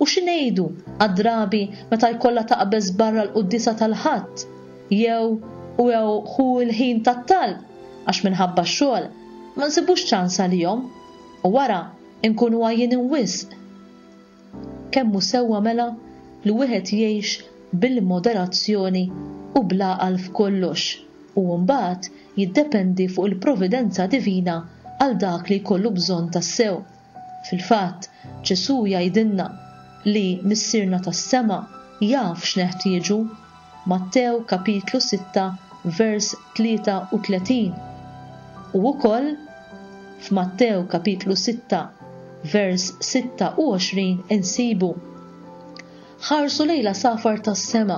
U xi ngħidu għad-drabi meta jkollha taqbeż barra l-quddiesa tal-Ħadd jew u jew hu l-ħin tat-talb għax minħabba x-xogħol ma nsibux ċans għalihom u wara nkunu għajjin wisq. Kemm hu sewwa mela li wieħed jgħix bil-moderazzjoni u bl-għaqal f'kollox u mbagħad jiddependi fuq il-providenza divina għal dak li jkollu bżonn tassew. Fil-fatt, Ġesù jgħidilna li Missierna tas-sema jaf x'neħtieġu. Mattew kapitlu sitta vers tlieta u tletin. U wkoll f'Mattew kapitlu sitta vers sitta u għoxrin insibu: Ħarsu lejla safar tas-sema,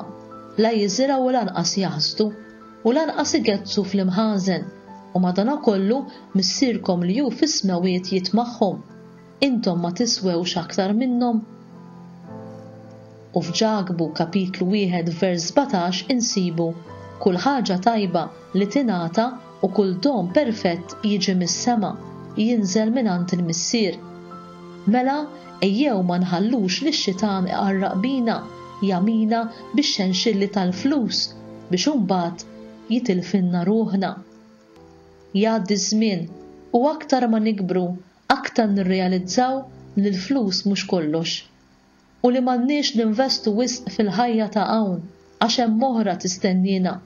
la jiżirgħu u lanqas jaħsdu, u lanqas igezzu fl-imħażen, u madanakollu Missierkom li hu fis-smewwiet jitmagħhom. Intom ma tiswewx aktar minnhom. U f'Ġakbu kapitlu wieħed vers sbatax insibu: Kull ħaġa tajba li tingħata u kull don perfett jiġi mis-sema, jinżel mingħand il-Missier. Mela, ejjew ma nħallux li x-xitan iqarraq bina, jamina bix-xenxilli tal-flus biex imbagħad jitilfinna ruħna. Jgħaddi ż-żmien u aktar ma nikbru, aktar nirrealizzaw li l-flus mhux kollox u li m'għandniex ninvestu wisq fil-ħajja ta' hawn għax hemm oħra tistennina.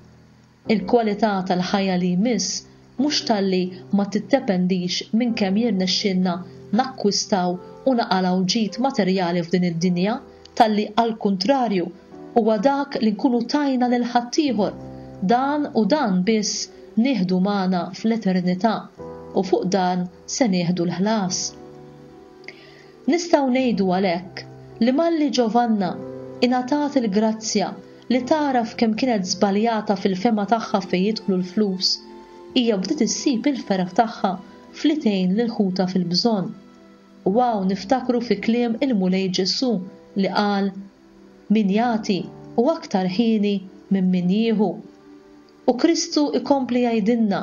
Il-kwalità tal-ħajja li jmiss mhux talli ma tiddependix minn kemm jirnexxilna nakkwistaw u naqalgħu ġid materjali f'din id-dinja, talli għall-kuntrarju huwa dak li nkunu tajna lil ħaddieħor, dan u dan biss nieħdu magħna fl-eternità u fuq dan se nieħdu l-ħlas. Nistgħu ngħidu għalhekk li malli Giovanna ingħatat il-grazzja li taraf kemm kienet żbaljata fil-fema tagħha fejn jidħlu l-flus, hija bdiet issib il-ferħ tagħha fli tgħin lil ħutha fil-bżonn. U hawn niftakru fi kliem il-Mulej Ġesù li qal: Min jagħti u aktar ħieni minn min jieħu. U Kristu ikompli jgħidilna: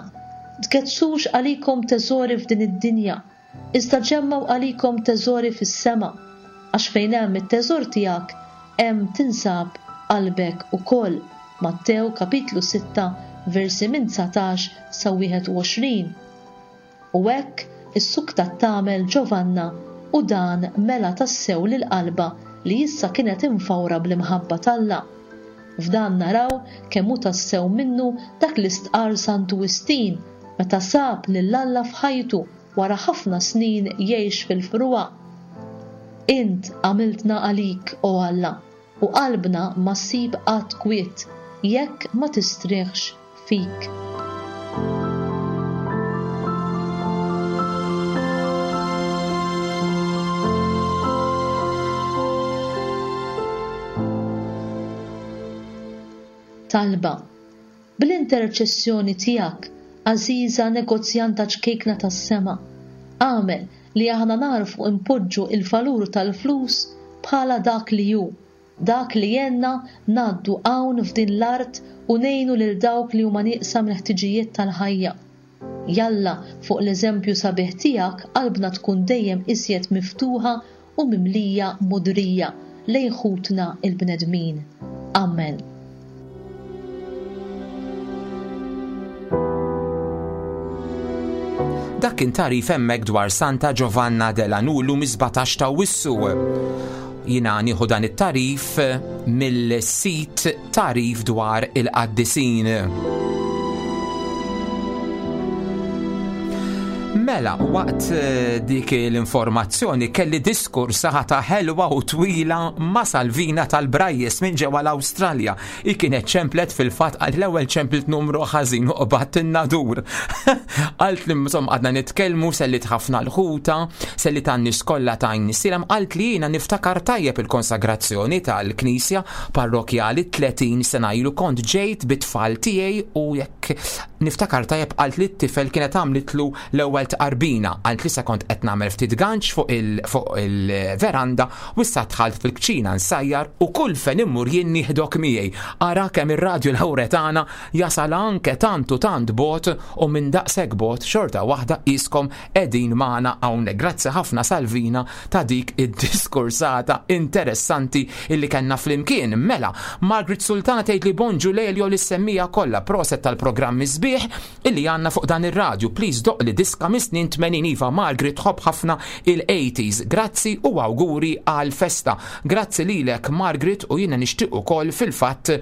Tgezzux għalikom teżori f'din id-dinja, iżda ġemmgħu għalikom teżori fis-sema, għax fejn hemm it-teżor tiegħek hemm tinsab qalbek ukoll. Mattew kapitlu sitta versi minn dsatax sa wieħed u għoxrin. U hekk issuktat tagħmel Giovanna u dan mela tassew lil qalba li issa kienet imfawra bl-imħabba t'Alla. F'dan naraw kemm hu tassew minnu dak li stqarr Santu Wistin meta sab lil Alla f'ħajtu wara ħafna snin jgħix fil-frugħa. Int għamiltna għalik, o Alla, u qalbna ma ssib qatt kwiet jekk ma tistrieħx fik. Talba. Bl-interċessjoni tiegħek, għażiża negozjanta ċkejkna tas-sema, għamel li aħna narfu impoġġu il-valur tal-flus bħala dak li hu, dak li jenna ngħaddu hawn f'din l-art u ngħinu lil dawk li huma nieqsa mill-ħtiġijiet tal-ħajja. Jalla fuq l-eżempju sabiħ tiegħek qalbna tkun dejjem iżjed miftuħa u mimlija modrija lejn ħutna il-bnedmin. Amen. Dak kien tagħrif hemmhekk dwar Santa Giovanna de la Nullu mis-sbatax ta' Awwissu. Jiena nieħu dan it-tagħrif mill-sit tagħrif dwar il-qaddisin. Mela, waqt dik l-informazzjoni kelli diskors ħata ħelwa u twila ma' Salvina tal-Brajjes minn ġewwa l-Awstralja. I kienet ċemplet fil-fatt għal l-ewwel ċemplet numru ħażin u qbadt in-nadur. Qalt li insomma għadna nitkellmu, sellit ħafna l-ħuta, sellit għan-nies kollha ta' Għajnsielem, qalt li jiena niftakar tajjeb il-konsagrazzjoni tal-Knisja parrokjali tletin sena ilu kont ġejt bit-tfal tiegħi u jekk niftakar tajjeb qalt li t-tifel kienet għamlitlu l-ewwel tqarbina. Qalt li sa kont qed nagħmel ftit ganċ fuq il-, fuq il-veranda u issa dħalt fil-kċina nsajjar u kull fejn immur jien nieħdok miegħi. Ara kemm ir-radju Lawretana jasal anke tant u tant bot u minn daqshekk bot xorta waħda qiskom qegħdin magħna hawnhekk. Grazzi ħafna Salvina ta' dik id-diskursata interessanti illi kellna flimkien. Mela, Margaret Sultana tgħid li bonġu Lelio li semmija kollha proset tal-programmi sbieħ illi għandna fuq dan ir-radju. Please doq li diska mis-snin tmenin. Iva, Margaret tħobb ħafna il-eighties. Grazzi u awguri għal festa. Grazzi lilek Margaret u jiena nixtieq ukoll fil-fatt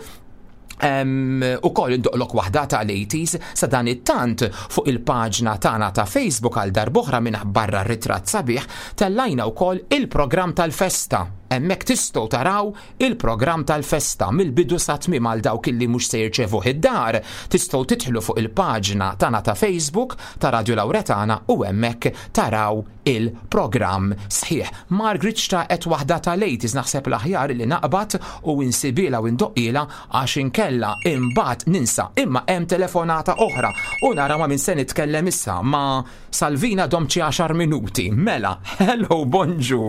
Em, u koll indoqlok waħda tal-eighties. Sa dan it-tant fuq il-paġna tagħna ta' Facebook għal darb'oħra minn barra ritratt sabiħ tellajna wkoll il-programm tal-festa. Hemmhekk tistgħu taraw il-programm tal-festa mill-bidu sa tmiem għal dawk illi mhux se jirċevuh id-dar. Tistgħu tidħlu fuq il-paġna tagħna ta' Facebook ta' Radio Lawretana u hemmhekk taraw il-programm sħiħ. Margaret xtaqet waħda tal-eighties, naħseb l-aħjar li naqbad u insibilha u ndoqqilha għax inkella imbagħad ninsa. Imma hemm telefonata oħra u nara ma' min se nitkellem issa, ma' Salvina domċi għaxar minuti. Mela, hello, bonġu.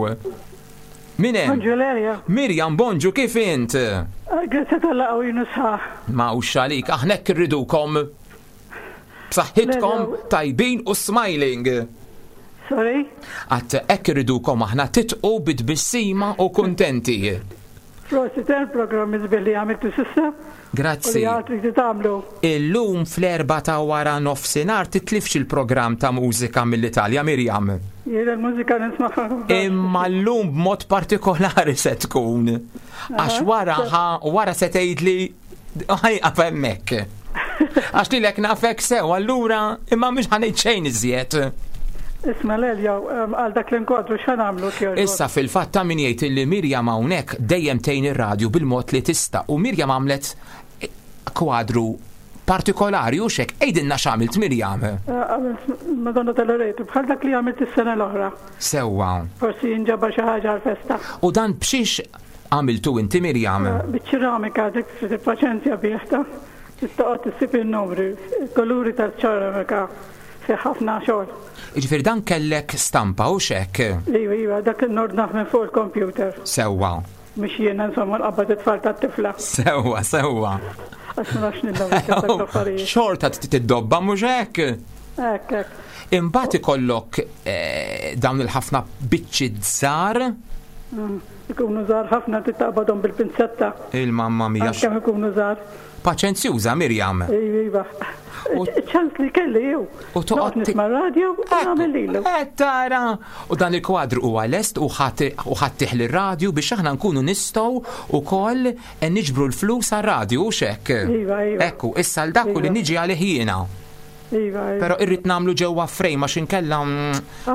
Min hemm? Bonġu Lelio. Mirjam, bonġu, kif int? Grazzi tal-laqgħu jien sħaħ. Ma hux għalik, aħna hekk irridukom. B'saħħitkom, Lelio. tajbin u smiling. Sorry? Għat hekk irridukom aħna titqu bit-tbissima u kuntenti. Prosit il-programm iżbieħ li għamiltu s'issa. Grazzi. U li għatri li tagħmlu. Illum fl-erba ta' wara nofsinhar titlifx il-programm ta' mużika mill-Italja, Mirjam. Jiena l-mużika nismagħha. Imma llum b'mod partikolari se tkun. Għax wara ħa, wara se tgħidli ħajqaf hemmhekk. Għax lilek nafek sew, allura imma mhux ħanejt xejn iżjed. Isma' Lelio, em, għal dak l-inkwadru x'ħan għamlu kjoġbok? Issa fil-fatt ta' min jgħid li Mirjam hawnhekk dejjem tgħin ir-radju bil-mod li tista' u Mirjam għamlet kwadru partikolari u xek, għidilna x'għamilt Mirjam? Eh, għamilt Madonna tal-Loreto, bħal dak li għamilt is-sena l-oħra. Sewwa. Forsi jinġabar xi ħaġa għall-festa. U dan b'xiex għamiltu inti Mirjam? Eh, biċ-ċeramika, dik trid il-paċenzja bih ta' trid toqgħod issib in-numri, il-kuluri tal-ċeramika fi ħafna xogħol. Jiġifieri dan kellek stampa u xek? Iva, iva, dak nordnaħ minn fuq il-computer. Sewwa. Mhux jiena insomma nqabbad it-tfal tat-tifla. Sewwa, sewwa. Għax ma nafx niddobb dak l-affarijiet. Xorta tiddobba mhux hekk? Hekk, hekk. Imbagħad ikollok, eh, dawn il-ħafna biċċi żgħar Mm. Ikunu żgħar ħafna trid taqbadhom bil-pinzetta. Il-mamma mia. Kemm ikunu żgħar. Paċenzjuża Mirjam. Iva. Ċans li kelli jew. U toqgħod nisma' radio u nagħmel lilu. Eh, tara. U dan il-kwadru huwa lest u ħadd lir-radju biex aħna nkunu nistgħu wkoll niġbru l-flus għar-radju u xek. Iva, iva. Ekku, issa l dak li niġi għalih jiena. Iva, iva. Però irrid nagħmlu ġewwa frejm għax inkella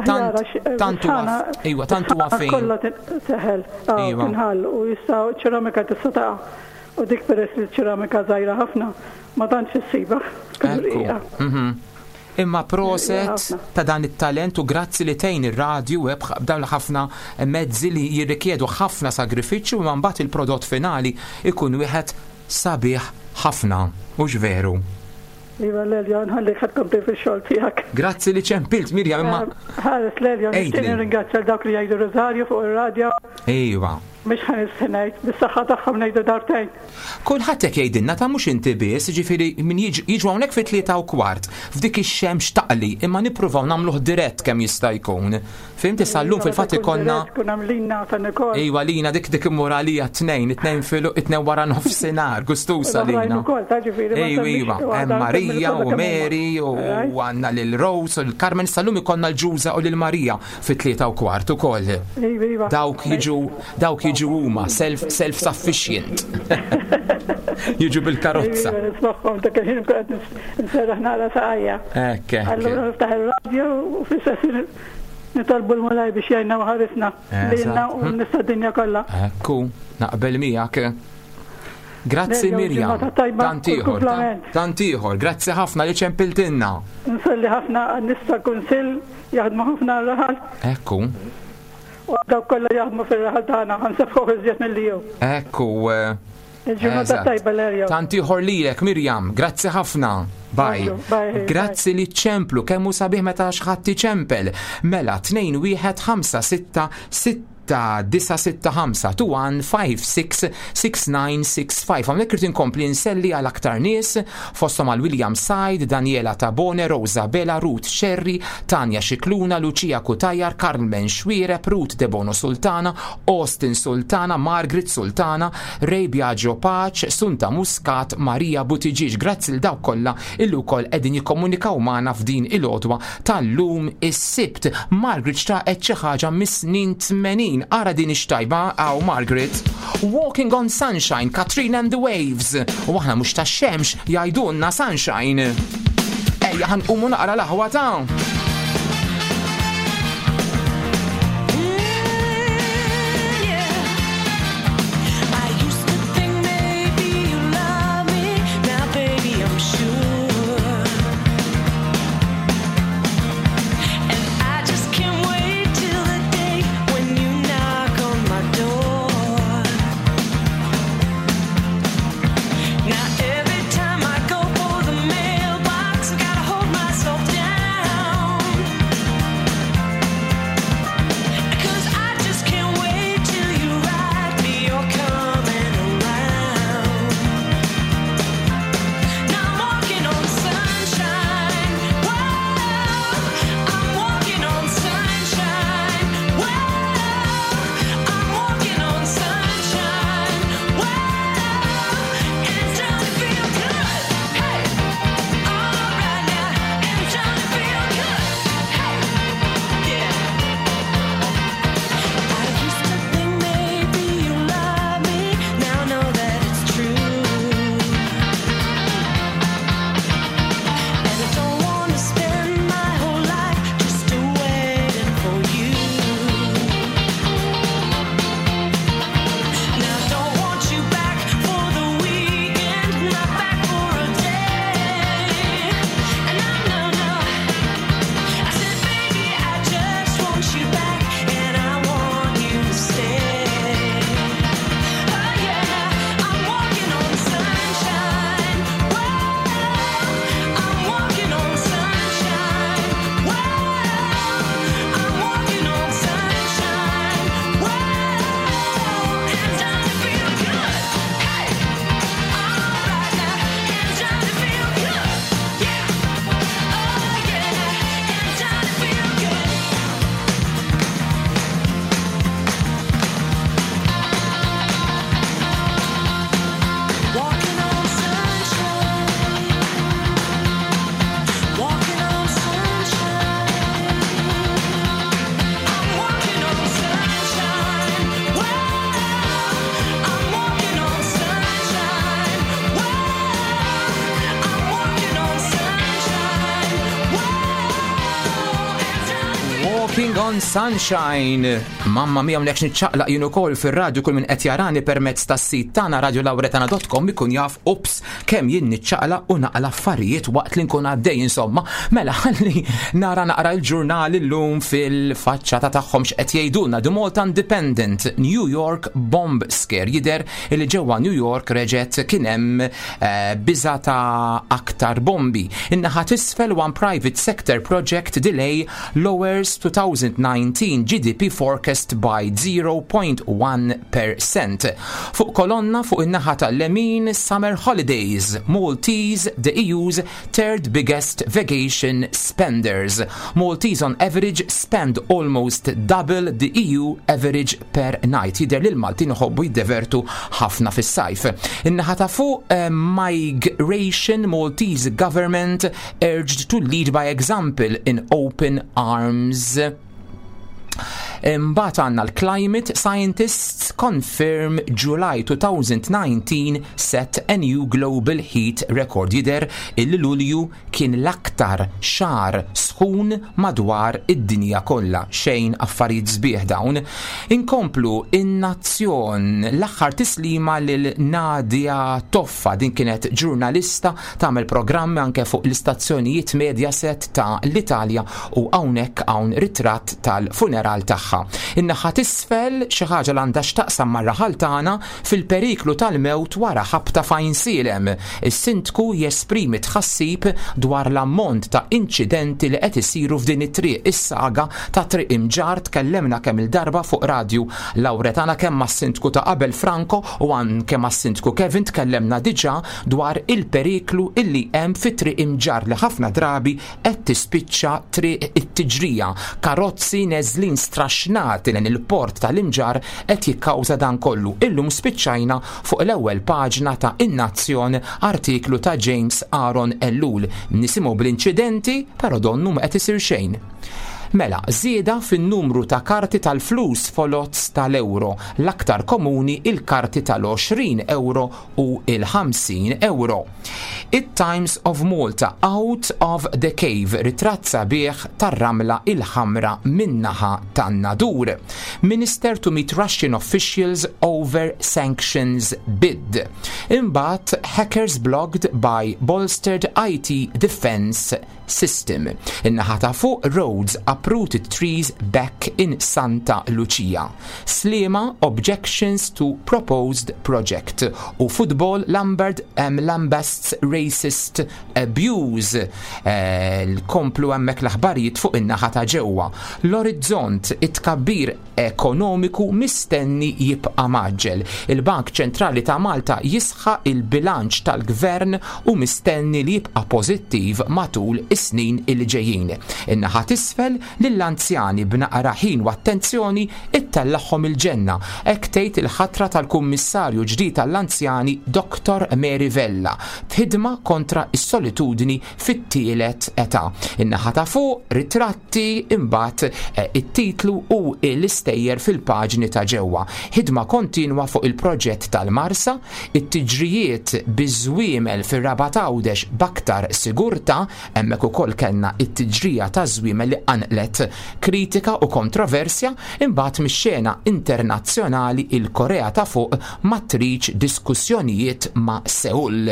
tant tant huwa iva, tant huwa fejn. Kollha teħel, tinħall u jista' ċeramika tista' taqa'. U dik peress li ċeramika żgħira ħafna ma tantx issiba. Imma proset ta' dan it-talent u grazzi li tgħin ir-radju b'dawn ħafna mezzi li jirrikjedu ħafna sagrifiċċju imma mbagħad il-prodott finali ikun wieħed sabiħ ħafna, mhux veru? Iva Lelio, nħallik ħa tkompli fix-xogħol tiegħek. Grazzi li ċempilt Mirjam imma. Ħares Lelio, nixtieq nirringrazzja l dawk li jgħidu Rosario fuq ir-radju. Iva. Mhux ħa ngħid, bis-saħħa tagħhom ngħidu darbtejn. Kulħadd hekk jgħidilna ta' mhux inti biss, jiġifieri min jiġu hawnhekk fit-tlieta u kwart, f'dik ix-xemx taqli, imma nippruvaw nagħmluh dirett kemm jista' jkun. Fimti sal-lum fil-fatt ikollna. Tkun għamlina ta' Nikol. Iva lina dik dik immoralija tnejn, it-tnejn filu, it-tnejn wara nofsinhar, gustusa lina. Iva, iva, hemm Marija u Mary u għandna lil Rose u l-Carmen sal-lum ikollna l-Ġuża u lil Marija fit-tlieta u kwart ukoll. Dawk jiġu dawk jiġu huma self self sufficient. Jiġu bil-karozza. Nismagħhom dak il-ħin qed nserraħ nara saqajja. Ekk. Allura niftaħ ir-radju u fl-istess nitolbu l-Mulej biex jgħinna u ħarisna lilna u nista' d-dinja kollha. Ekku, naqbel miegħek. Grazzi Mirjam. Tant ieħor, tant ieħor, grazzi ħafna li ċempiltilna. Nsalli ħafna għan-nies tal-Kunsill jaħdmu ħafna r-raħal. Ekku. U dawk kollha jaħdmu fir-raħal tagħna ħansebħu iżjed milli jew. Ekku. Il-ġurnata tajba l-erja. Tant ieħor lilek Mirjam, grazzi ħafna. Bye. Grazzi li ċemplu, kemm hu sabiħ meta xi iċempel. Mela tnejn wieħed ħamsa sitta sitta disa sitta ħamsa two one five six six nine six five. Hawnhekk irid inkompli nselli għal aktar nies fosthom għal William Said, Daniela Tabone, Rosa Bela, Ruth Sherry, Tanja Xikluna, Lucia Kutajar, Carmen Xwireb, Ruth Debono Sultana, Austin Sultana, Margaret Sultana, Ray Biagio Pace, Sunta Muscat, Maria Buttigieg. Grazzi l dawk kollha illi wkoll qegħdin jikkomunikaw magħna f'din il-għodwa tal-lum is-Sibt. Margaret xtaqet xi ħaġa mis-snin tmenin. Ara din ix-tajba għaw Margaret. Walking on Sunshine, Katrina and the Waves. U aħna mhux tax-xemx jgħidulna Sunshine. Ejja ħanqumu naqra l-aħwa ta'. Every time I go for the mailbox, I gotta hold myself down. On Sunshine. Mamma mia, mlekx niċċaqlaq jien ukoll fir-radju. Kull min qed jarani permezz tas-sit tagħna radiolauretana punt com ikun jaf, ups, kemm jien niċċaqlaq u naqla affarijiet waqt li nkun għaddej insomma. Mela ħalli nara naqra l-ġurnal illum fil-faċċata tagħhom x'qed jgħidulna. The Malta Independent, New York Bomb Scare. Jidher li ġewwa New York reġgħet kien hemm eh, biża ta' aktar bombi. In-naħa t'isfel, one private sector project delay lowers twenty nineteen G D P forecast by zero point one percent. Fuq kolonna fuq in-naħa tal-lemin, Summer Holidays, Maltese, the E U's third biggest vacation spenders. Maltese on average spend almost double the E U average per night. Jidher li l-Maltin iħobbu jiddevertu ħafna fis-sajf. In-naħa ta' fuq, eh, migration, Maltese government urged to lead by example in open arms. Imbagħad għandna l-Climate, Scientists confirm July twenty nineteen set a new global heat record. Jidher illi Lulju kien l-aktar xahar sħun madwar id-dinja kollha. Xejn affarijiet sbieħ dawn. Inkomplu, In-Nazzjon, l-aħħar tislima lil Nadia Toffa. Din kienet ġurnalista, tagħmel programmi anke fuq l-istazzjonijiet Mediaset ta' l-Italja u hawnhekk hawn ritratt tal-funeral tagħha. In-naħa t'isfel, xi ħaġa li għandha x'taqsam mar-raħal tagħna, fil-periklu tal-mewt wara ħabta f'Għajnsielem. Is-sindku jesprimi tħassib dwar l-ammont ta' inċidenti li qed isiru f'din it-triq. Is-saga ta' Triq Imġarr, tkellemna kemm il-darba fuq Radju Lauretana, kemm mas-sindku ta' qabel Franco u anke mas-sindku Kevin, tkellemna diġà dwar il-periklu illi hemm fi Triq Imġarr li ħafna drabi qed tispiċċa triq it-tiġrija. Karozzi neżlin straxnati lejn il-port tal-Imġarr qed jikkawża dan kollu. Illum spiċċajna fuq l-ewwel paġna ta' In-Nazzjon, artiklu ta' James Aaron Ellul. Nisimgħu bl-inċidenti, però donnu ma qed isir xejn. Mela, żieda fin-numru ta' karti tal-flus folots tal-euro, l-aktar komuni il-karti tal-għoxrin euro u il-ħamsin euro. It-Times of Malta, Out of the Cave, ritratt sabiħ tar-Ramla il-Ħamra min-naħa tan-Nadur. Minister to meet Russian officials over sanctions bid. Imbagħad, hackers blocked by bolstered I T defense system. In-naħa ta' fuq, roads uprooted trees back in Santa Lucia. Sliema objections to proposed project. U football, Lambert um, lambasts racist abuse. Eh, L-komplu hemmhekk l-aħbarijiet fuq in-naħa ta' ġewwa. L-Orizzont, it-tkabbir ekonomiku mistenni jibqa' mgħaġġel. Il-Bank Ċentrali ta' Malta jisħaq il-bilanċ tal-gvern u mistenni li jibqa' pożittiv matul is-snin il ġejjin. In-naħa t'isfel, lill-anzjani b'naqra ħin u attenzjoni ittellagħhom il-ġenna. Hekk tgħid il-ħatra tal-Kummissarju ġdid tal-Anzjani Doctor Mary Vella f'ħidma kontra is-solitudni fit-tielet età. In-naħa ta' fuq, ritratti, imbagħad eh, it-titlu u l-istejjer fil-paġni ta' ġewwa. Ħidma kontinwa fuq il-proġett tal-Marsa, it-tiġrijiet biż-żwiemel fir-Rabat Għawdex b'aktar sigurtà, hemmhekk ukoll kellna it-tiġrija ta' żwiemel li qanqlet kritika u kontroversja, imbagħad mix-xena internazzjonali, il-Korea ta' Fuq ma tridx diskussjonijiet ma' Seul.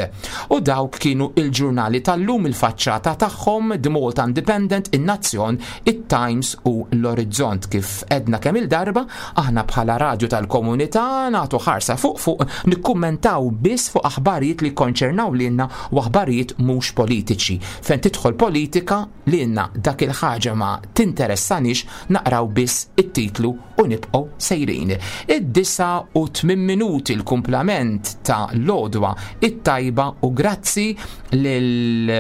U dawk kienu il-ġurnali tal-lum, il-faċċata tagħhom, The Malta Independent, In-Nazzjon, it-Times u l-Orizzont. Kif għedna kemm il-darba, aħna bħala radju tal-komunità nagħtu ħarsa fuq fuq, nikkummentaw biss fuq aħbarijiet li konċernaw lilna u aħbarijiet mhux politiċi. Fejn tidħol politika, lilna dak il-ħaġa ma tinteressanix, naqraw biss it-titlu u nibqgħu sejrin. Id-disgħa u tmien minuti, l-kumplament ta' l-għodwa it-tajba u grazzi lil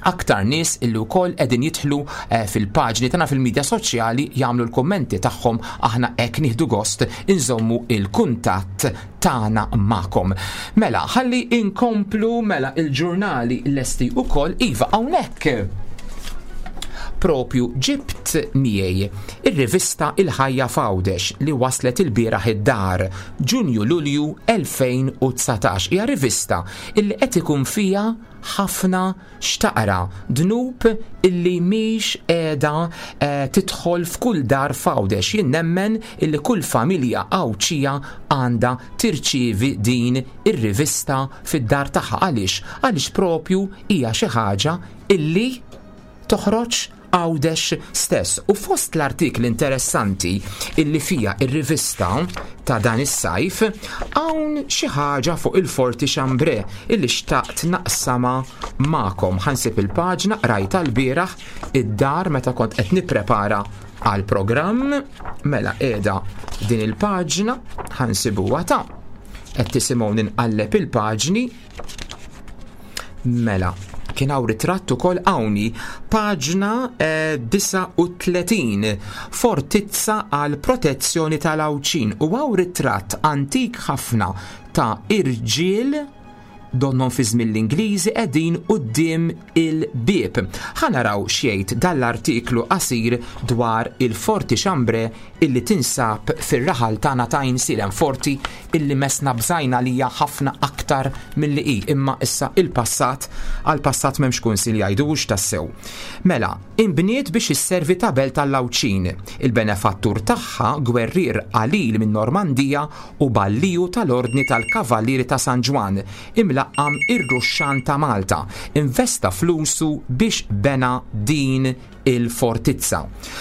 aktar nies illi wkoll qegħdin jidħlu eh, fil-paġni tagħna fil-medja soċjali jagħmlu l-kummenti tagħhom. Aħna hekk nieħdu gost inżommu il-kuntatt tagħna magħkom. Mela, ħalli inkomplu, mela il-ġurnali lesti ukoll, iva, hawnhekk. Propju ġibt miegħi ir-rivista Il-Ħajja f'Għawdex li waslet il-bieraħ id-dar Ġunju Lulju elfejn u dsatax. Hija rivista illi qed ikun fiha ħafna x'taqra, dnub illi mhix qiegħda eh, tidħol f'kull dar f'Għawdex. Jien nemmen illi kull familja Għawdxija għandha tirċievi din ir-rivista fid-dar tagħha. Għaliex? Għaliex propju hija xi ħaġa illi toħroġ Għawdex stess. U fost l-artikli interessanti illi fija ir-rivista ta' dan is-sajf, hawn xi ħaġa fuq il-Forti Chambray illi xtaqt naqsama magħkom. Ħa nsib il-paġna, rajta l-bieraħ id-dar meta kont qed nipprepara għal programm. Mela qiegħda din il-paġna, ħa nsibuha ta' qed tisimgħu ninqalleb il-paġni. Mela, kien hawn ritratt ukoll hawnhi, paġna eh, disgħa u tletin, fortizza għal protezzjoni tal-Għawdxin, u hawn ritratt antik ħafna ta' irġiel donnom fi żmien l-Ingliżi qegħdin quddiem il-bieb. Ħa naraw x'jgħid dal-artiklu qasir dwar il-Forti Chambray illi tinsab fir-raħal tagħna ta' Għajnsielem, forti illi mesna bżajna li hija ħafna aktar milli hi, imma issa il-passat, għal-passat m'hemmx kunsil jgħidux tassew. Mela, imbniet biex isservi ta' belt tal-Għawdxin. Il-benefattur tagħha, gwerrier qalil minn Normandija u balliju tal-Ordni tal-Kavallieri ta' San Ġwann, imlaqqam ir-Ruxxan ta' Malta, investa flusu biex bena din il-fortizza.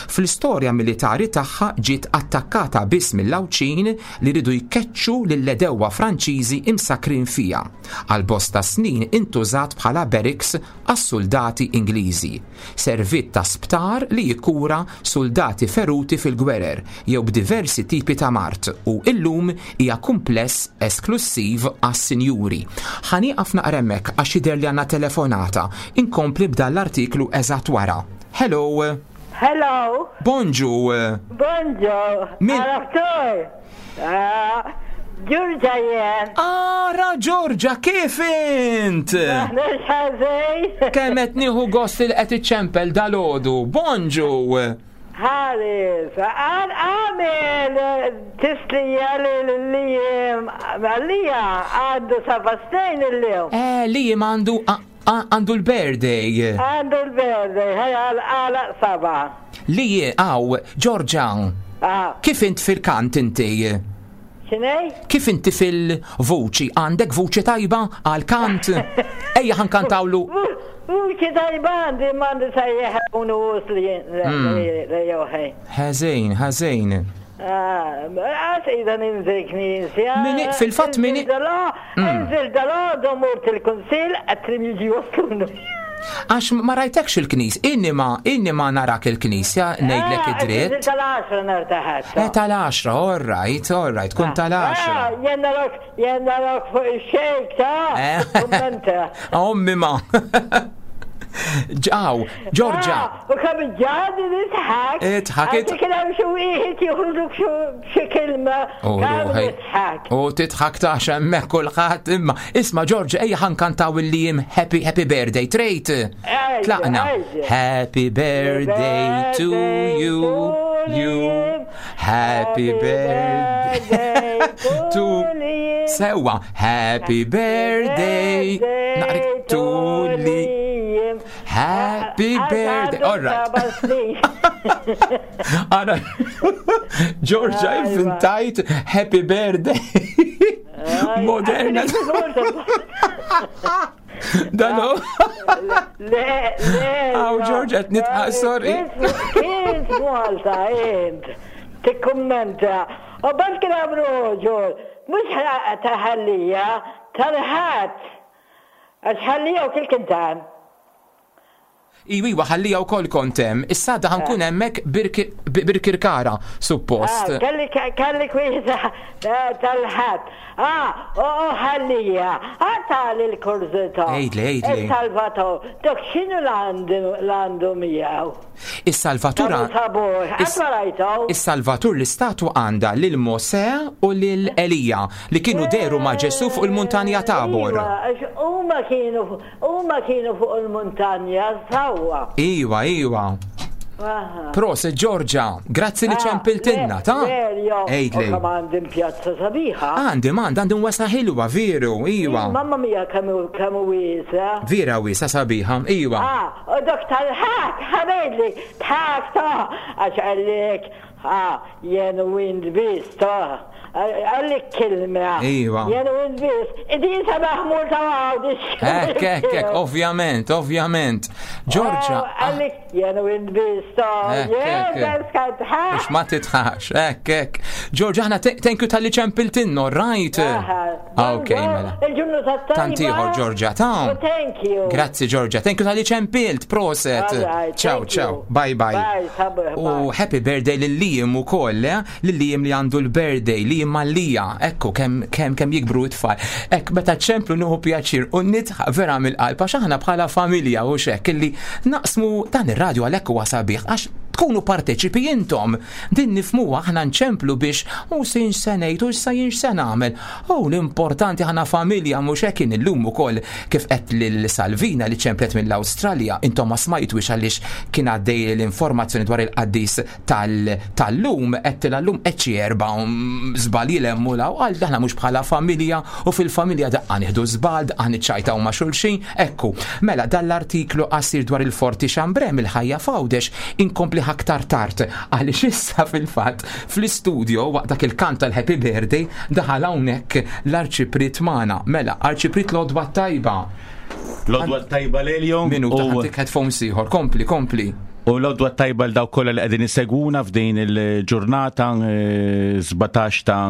Fl-istorja militari tagħha ġiet attakkata biss mill-Għawdxin li ridu jkeċċu lill-għedewwa Franċiżi imsakrin fija. Għal bosta snin intużat bħala barracks għas-soldati Ingliżi. Servit ta' sptar li jikura soldati feruti fil-gwerer jew b'diversi tipi ta' mard u illum hija kumpless esklusiv għas-sinjuri. Ħa nieqaf naqra hemmhekk għax jidher li għandna telefonata. Inkompli b'dan l-artiklu eżatt wara. Hello. Hello. Bonġu. Bonġu. Min? Għaraftuj. Ah, Ġorġa jien. Ara Ġorġa, kif int? Mhux ħażin. Kemm qed nieħu gost li qed iċċempel dalgħodu. Bonġu. Ħares, għan għamil tislija li li għalija għandu seba' snin il-lum. Eh, li għandu għandu l-birthday. Għandu l-birthday, ħaj għala seba. Li għaw, Ġorġa, Ah. kif int fil-kant inti? X'inhi? Kif inti fil-vuċi? Għandek vuċi tajba għal-kant? Ejja ħa nkantawlu. Vuċi tajba għandi, m'għandi sejjeħ unu li li joħi. Ħażin, ħażin. Għas ida ninżil knisja. Mini- fil-fatt mini- Inżil dal-għodu mort il-kunsil għatrim jiġi waslunu. Għax ma rajtekx il-knis, inni ma, inni ma narak il-knisja, ngħidlek id-dritt. Inżil tal-għaxra nartaħat. Eh, tal-għaxra, all right, all right, kun tal-għaxra. Jenna rok, jenna rok fuq il-xejk ta' Eh. Kommenta. Ommi ma. Ġaw, Ġorġa. U kam ġadi nidħak. Idħak, id- Għax kien hemm xi wieħed joħroġluk xi kelma. U Kam ruħi. nidħak. U tidħak ta' xemmek kulħadd imma. Isma' Ġorġa, ejja ħa nkantaw il-lim happy happy birthday trejt. Ejja, Tlaqna. ejja. Happy birthday to you, you. Happy birthday to Sewa, happy birthday. Naqrik to li. Happy birthday. All right. Ara, Georgia, inventajt happy birthday. Moderna. Dano. Le, le. Aw, Georgia, qed nidħaq, sorry. Kint Malta, int. Tikkummenta. U bas kien għamlu ġol, mhux taħallija, tal-ħadd. Għax ħallija u kil kintan. Iwi, ħallija u kol kontem. Issa da ħa nkun hemmhekk Birkirkara, suppost. Ah, Kelli kelli wieħed tal-ħadd. Ah, u ħallija. Għatali l-kurżità. Għidli, għidli. Il-Salvator. Dok x'inhu l-għandu miegħu? Is-Salvatur Sabur, Is- qatt ma rajtu. Is-Salvatur l-istatwa għandha lil Mosè u lil Elija li kienu deru ma' Ġesu fuq il-muntanja Tabor. Iva, għax huma kienu huma kienu fuq il-muntanja sewwa. Iwa, iwa. Aha. Proset Giorgia, grazzi li Ah, ċempiltinna, ta? Lelio, Ejdli. u kemm għandi pjazza sabiħa. Għandi mand, għandi wasa ħilwa, veru, iwa. Mamma mia kemm kemm wiesa. Vera wisa sabiħa, iwa. Ah, u dok tal-ħak, ħamedli, tħak ta' għax għallek, ah, jen u int biss ta' għallek kilma. Iva. Jen u int biss, din sabaħ mur ta' għawdix. Ek, ek, ek, ovvjament, ovvjament. Giorgia, Għallek, jen u int biss ta' Ek, jen ek, ek. beskat ħak. Mux ma titħax, ek, ek. Giorgia, aħna te- thank you tal-li ċempiltinna, right? Ah, Ok, mela. Il-ġunnu ta' tajba. Tantiħor, Giorgia, ta' U Thank you. Grazzi Giorgia, thank you tal-li ċempilt, proset. All right, Ciao, thank ciao, you. bye bye. Bye, sabu- U happy birthday lil Liam u koll, eh? Lil Liam li għandu l-birthday, Liam Mallija, ekku kem, kem, kem jikbru it-tfal. Ek, meta ċemplu nieħu pjaċir u nitħaq vera mill-qalb, għax aħna bħala familja u xek, illi naqsmu dan ir-radju għalhekk huwa sabiħ, għax tkunu parteċipi intom. Din nifmuha aħna nċemplu biex u sin se ngħid u issa jien x'se nagħmel. U l-importanti aħna familja mhux hekk kien illum ukoll kif qed lil Salvina li ċemplet mill-Awstralja intom ma smajtux għaliex kien għaddej l-informazzjoni dwar il-qaddis tal- tal-lum qed l-lum qed xi erba' um, żball jilemmu law għal daħna mhux bħala familja u fil-familja daqqa nieħdu żball, daqqa niċċajtaw ma' xulxin. Ekku, mela dan l-artiklu qasir dwar il-Forti Xambrem il-ħajja f'Għawdex inkompli aktar tard għaliex issa fil-fatt fl-istudio waqt dak il-kant tal-Happy Birthday daħal hawnhekk l-Arċipriet magħna. Mela, Arċipriet l-għodwa tajba. L-għodwa tajba Lelio. Minuta u- ħantik headphones ieħor. Kompli, kompli. U l-għodwa tajba l dawk kollha li qegħdin isegwuna f'din il-ġurnata eh, sbatax ta'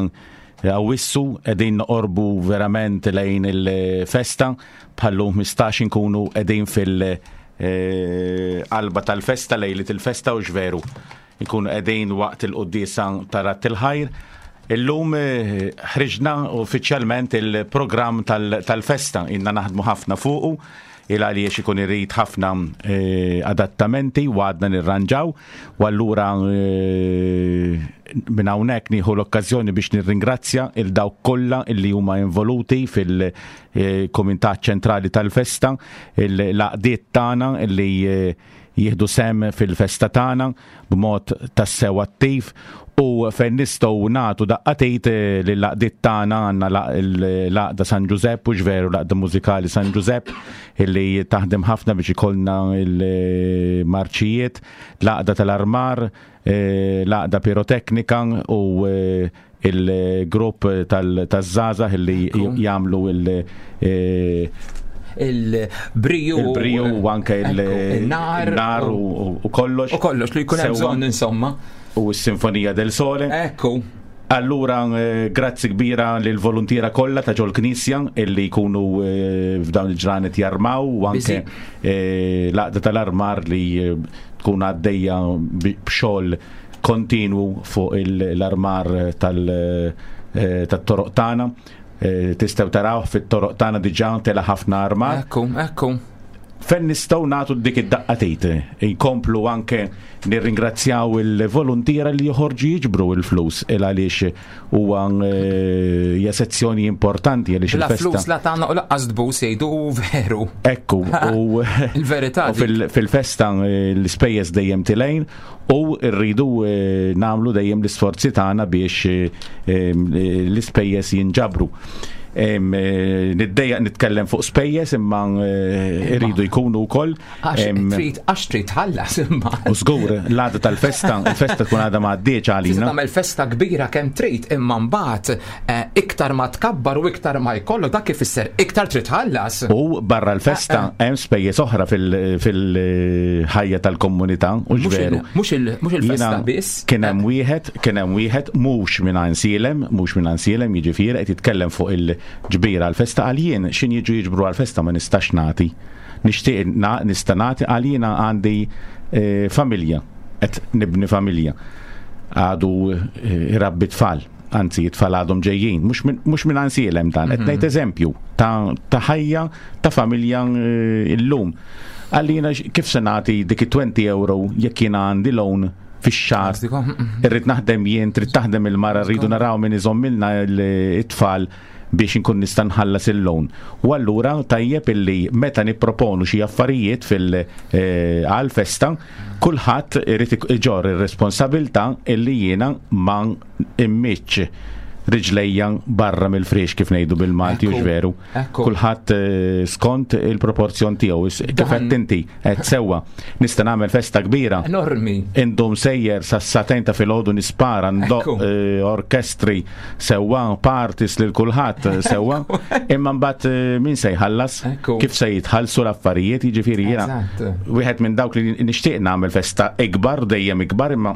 Awwissu qegħdin noqorbu verament lejn il-festa bħallu ħmistax inkunu qegħdin fil- eh, qalba tal-festa lejlit il-festa u xveru. Nkunu qegħdin waqt il-quddiesa ta' Radd il-Ħajr. Illum eh, ħriġna uffiċjalment il-programm tal- tal-festa, inna naħdmu ħafna fuqu, il għaliex ikun irrid ħafna eh, adattamenti u għadna nirranġaw, u allura eh, minn hawnhekk nieħu l-okkażjoni biex nirringrazzja il dawk kollha illi huma involuti fil-Kumitat Ċentrali tal-Festa, l-għaqdiet tagħna illi eh, jieħdu sem fil-festa tagħna b'mod tassew attiv u fejn nistgħu nagħtu daqqa t'id eh, lill-għaqdiet tagħna għandna la- l-Għaqda San Ġużepp u ġveru l-Għaqda Mużikali San Ġużepp illi taħdem ħafna biex ikollna il-marċijiet, l-Għaqda tal-Armar, eh, l-Għaqda Piroteknika u eh, il-grupp tal-żgħażagħ illi jagħmlu il- eh, Il-briju. il-briju u anke il- il-nar il-nar u u kollox. U kollox li jkun hemm Sewwa. bżonn insomma. U s-Sinfonija del Sole. Ekku. Allura, eh, grazzi kbira lil voluntiera kollha ta' ġol knisja illi jkunu eh, f'dawn il-ġranet jarmaw u anke eh, l-għaqda tal-armar li eh, tkun għaddejja bi- b'xogħol kontinwu fuq il- l-armar tal- eh, tat-toroq tagħna. Eh, Tistgħu taraw fit-toroq tagħna diġà tela ħafna armar. Ekku, ekku. Fejn nistgħu nagħtu dik id-daqqa t'id. Inkomplu anke nirringrazzjaw il-voluntiera li joħorġu jiġbru il-flus il għaliex huwa eh, hija sezzjoni importanti għaliex La il-festa. flus la tagħna u laqqas tbus jgħidu u veru. Ekku, u Il-verità u fil- fil-festa eh, l-ispejjeż dejjem tilejn u rridu eh, nagħmlu dejjem l-isforzi tagħna biex eh, eh, l-ispejjeż jinġabru. Em, eh, Niddejjaq nitkellem fuq spejjeż imma eh, irridu jkunu wkoll. Għax Em, trid għax trid tħallas imma. U żgur, l-għada tal-festa, il-festa tkun għadha ma għaddiex Tista' għalina. tagħmel festa kbira kemm trid imma mbagħad eh, iktar ma tkabbar u iktar ma jkollok dak ifisser iktar trid tħallas. U barra l-festa hemm spejjeż oħra fil-ħajja tal-komunità u Mhux il- ġveru. Mhux il- mhux il-festa Jiena biss. Kien hemm wieħed, kien hemm wieħed mhux minn Għajnsielem, mhux minn Għajnsielem, jiġifieri qed jitkellem fuq il-ġbira għall-festa għal jien x'in jiġu jiġbru għall-festa ma nistax nagħti. Nixtieq na- nista' nagħti għal jiena għandi eh, familja, qed nibni familja. Għadu eh, irabbi tfal, anzi it-tfal għadhom ġejjin, mhux minn mhux minn Għajnsielem dan, qed ngħid eżempju ta' ta' ħajja ta' familja eh, illum. Għallina kif se nagħti dik it-twenty euro jekk jiena għandi loan fix-xahar. Irrid naħdem jien, trid taħdem il-mara, rridu naraw min iżommilna it-tfal Biex inkun nista' nħallas il-loan. U allura tajjeb illi meta nipproponu xi affarijiet fil eh, għal-festa, kulħadd irid iġorr ir-responsabilità illi jiena ma immiċ riġlejja barra mill-friex, kif ngħidu bil-Malti, u veru. Kulħadd eh, skont il-proporzjon tiegħu. Kif qed inti qed sewwa, nista' nagħmel festa kbira. Enormi. Indum sejjer sa sagħtejn ta' filgħodu nispara, ndoq eh, orkestri sewwa, parties lil kulħadd sewwa, imma mbagħad eh, min se jħallas? Kif se jitħallsu l-affarijiet? Jiġifieri jiena wieħed minn dawk li nixtieq nagħmel festa ikbar, dejjem ikbar, imma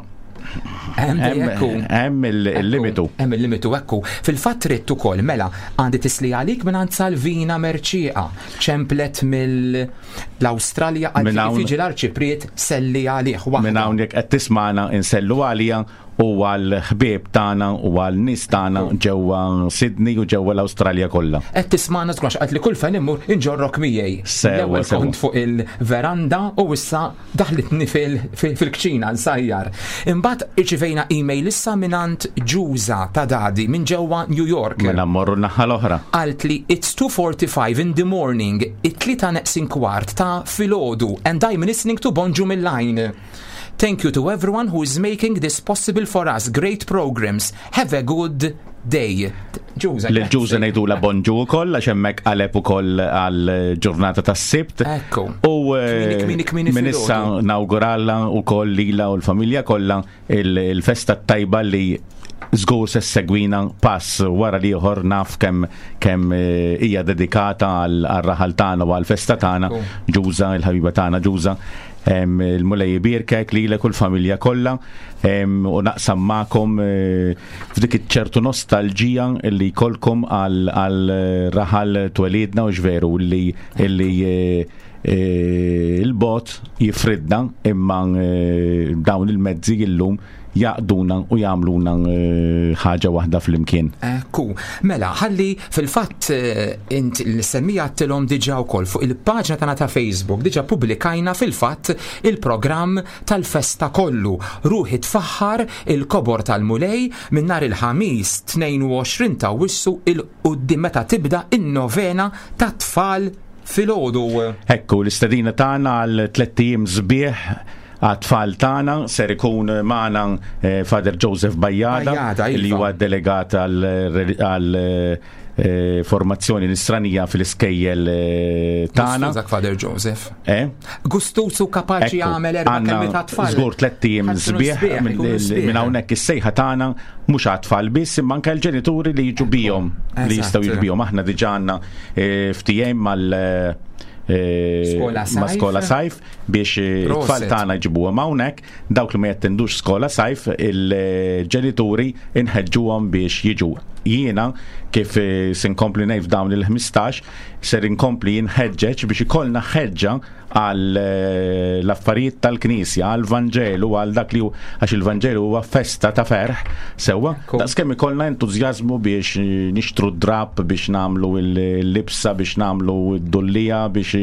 hemm il-limitu. Hemm il-limitu, ekku. Fil-fatt ridt ukoll, mela, għandi tislima għalik minn għand Salvina Merċieqa. Ċemplet mill-Awstralja, għal kif jiġi l-arċipriet selli għalih. Minn hawn, jekk qed tismana, insellu għalija u għal ħbieb tagħna u għal nies tagħna ġewwa Sydney u ġewwa l-Awstralja kollha. Qed tismana żgur, għedt li kull fejn immur inġorrok miegħi. L-ewwel kont fuq il-veranda u issa daħlitni fil-kċina nsajjar. Imbagħad irċivejna email issa mingħand Ġuża ta' Dadi minn ġewwa New York. Mela mmorru naħa l-oħra. Qalt li it's two forty-five in the morning, it-tlieta neqsin kwart ta' filgħodu, and I'm listening to Bonġu mill-Line. Thank you to everyone who is making this possible for us. Great programs. Have a good day. Ġuża. Lil Ġuża ngħidula bonġu wkoll, għax hemmhekk qaleb ukoll għal ġurnata tas-Sibt. Ekku. U eh, minn issa nawguralha wkoll lilha u l-familja kollha il-festa tajba, li żgur se segwina pass wara l-ieħor. Naf kemm kemm eh, hija dedikata għal raħal tagħna u għal festa tagħna. Ġuża, il-ħabiba tagħna Ġuża, il-Mulej ibierkek lilek u l-familja kollha, u naqsam magħkom eh, f'dik ċertu nostalġija li jkollkom għal raħal twelidna, u veru li illi eh, il-bogħod jifridna, imma dawn il-mezzi illum jgħaqqduna u jagħmluna eh, ħaġa waħda flimkien. Ekku, mela, ħalli fil-fatt eh, int l-semmija għedtilhom diġà wkoll fuq il-paġna tagħna ta' Facebook, diġà publikajna fil-fatt il-programm tal-festa kollu. Ruħi tfaħħar il-kobor tal-Mulej, minn nhar il-Ħamis tnejn u għoxrin ta' Awwissu 'l quddiem, meta tibda in-novena ta' tfal filgħodu. Ekku, l-istedina tagħna għal tlett ijiem sbieħ għat-tfal tagħna. Ser ikun magħna eh, Father Joseph Bajada, Bajada li iva. huwa delegat għal eh, formazzjoni nisranija fil-iskejjel eh, tagħna. Gustużak Father Joseph. Eh? Gustuż u kapaċi jagħmel erba' kelmiet ta' tfal. Żgur tlett ijiem sbieħ. Minn hawnhekk is-sejħa tagħna mhux għat-tfal biss, imma anke l-ġenituri li jiġu bihom, li jistgħu jiġu bihom. Aħna diġà għandna ftehim mal Skola ma' Skola Sajf biex it-tfal tagħna jġibuhom hawnhekk. Dawk li ma jattendux Skola Sajf, il-ġenituri inħeġġuhom biex jiġu. Jiena kif se nkompli ngħid, f'dawn il-ħmistax ser inkompli jinħeġġeġ biex ikollna ħeġġa għal eh, l-affarijiet tal-Knisja, għal Vanġelu, għal dak li għax il-Vanġelu huwa festa ta' ferħ, sewwa, daqskemm ikollna entużjażmu biex nixtru drab, biex nagħmlu l-libsa, biex nagħmlu d-dullija, biex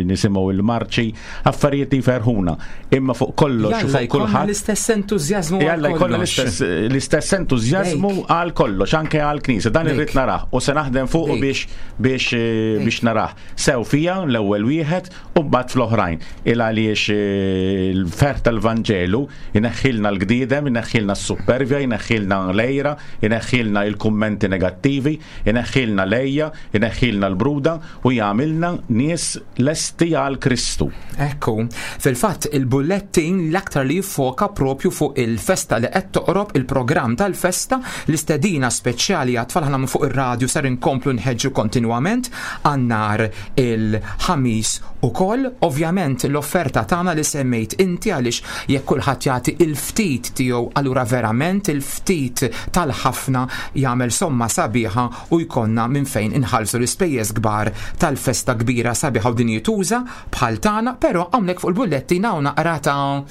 nisimgħu il-marċi, affarijiet li jferħuna. Imma fuq kollox, fuq kulħadd l-istess entużjażmu. Jalla jkollna l-istess entużjażmu għal kollox, anke għal Knisja. Dan irrid narah u se naħdem fuq biex biex biex narah. Sew fija l-ewwel wieħed u mbagħad fl-oħrajn. Il għaliex eh, il-ferħ tal-Vanġelu jneħħilna l-gdidem, jneħħilna s-supervja, jneħħilna l-għira, jneħħilna il-kummenti negattivi, jneħħilna l-għeja, jneħħilna l-bruda u jagħmilna nies lesti għal Kristu. Ekku, fil-fatt il-bullettin l-aktar li jiffoka propju fuq il-festa li qed toqrob, il-programm tal-festa, l-istedina speċjali għat-tfal. Aħna fuq ir-radju ser inkomplu nħeġġu kontinwament għal nhar il-Ħamis ukoll. Ovvjament l-offerta tagħna li semmejt inti, għaliex jekk kulħadd jagħti il-ftit tiegħu, allura verament il-ftit tal-ħafna jagħmel somma sabiħa u jkollna minn fejn inħallsu l-ispejjeż kbar tal-festa kbira, sabiħa u dinjituża bħal tagħna. Però hawnhekk fuq il-bullettin hawn naqra ta'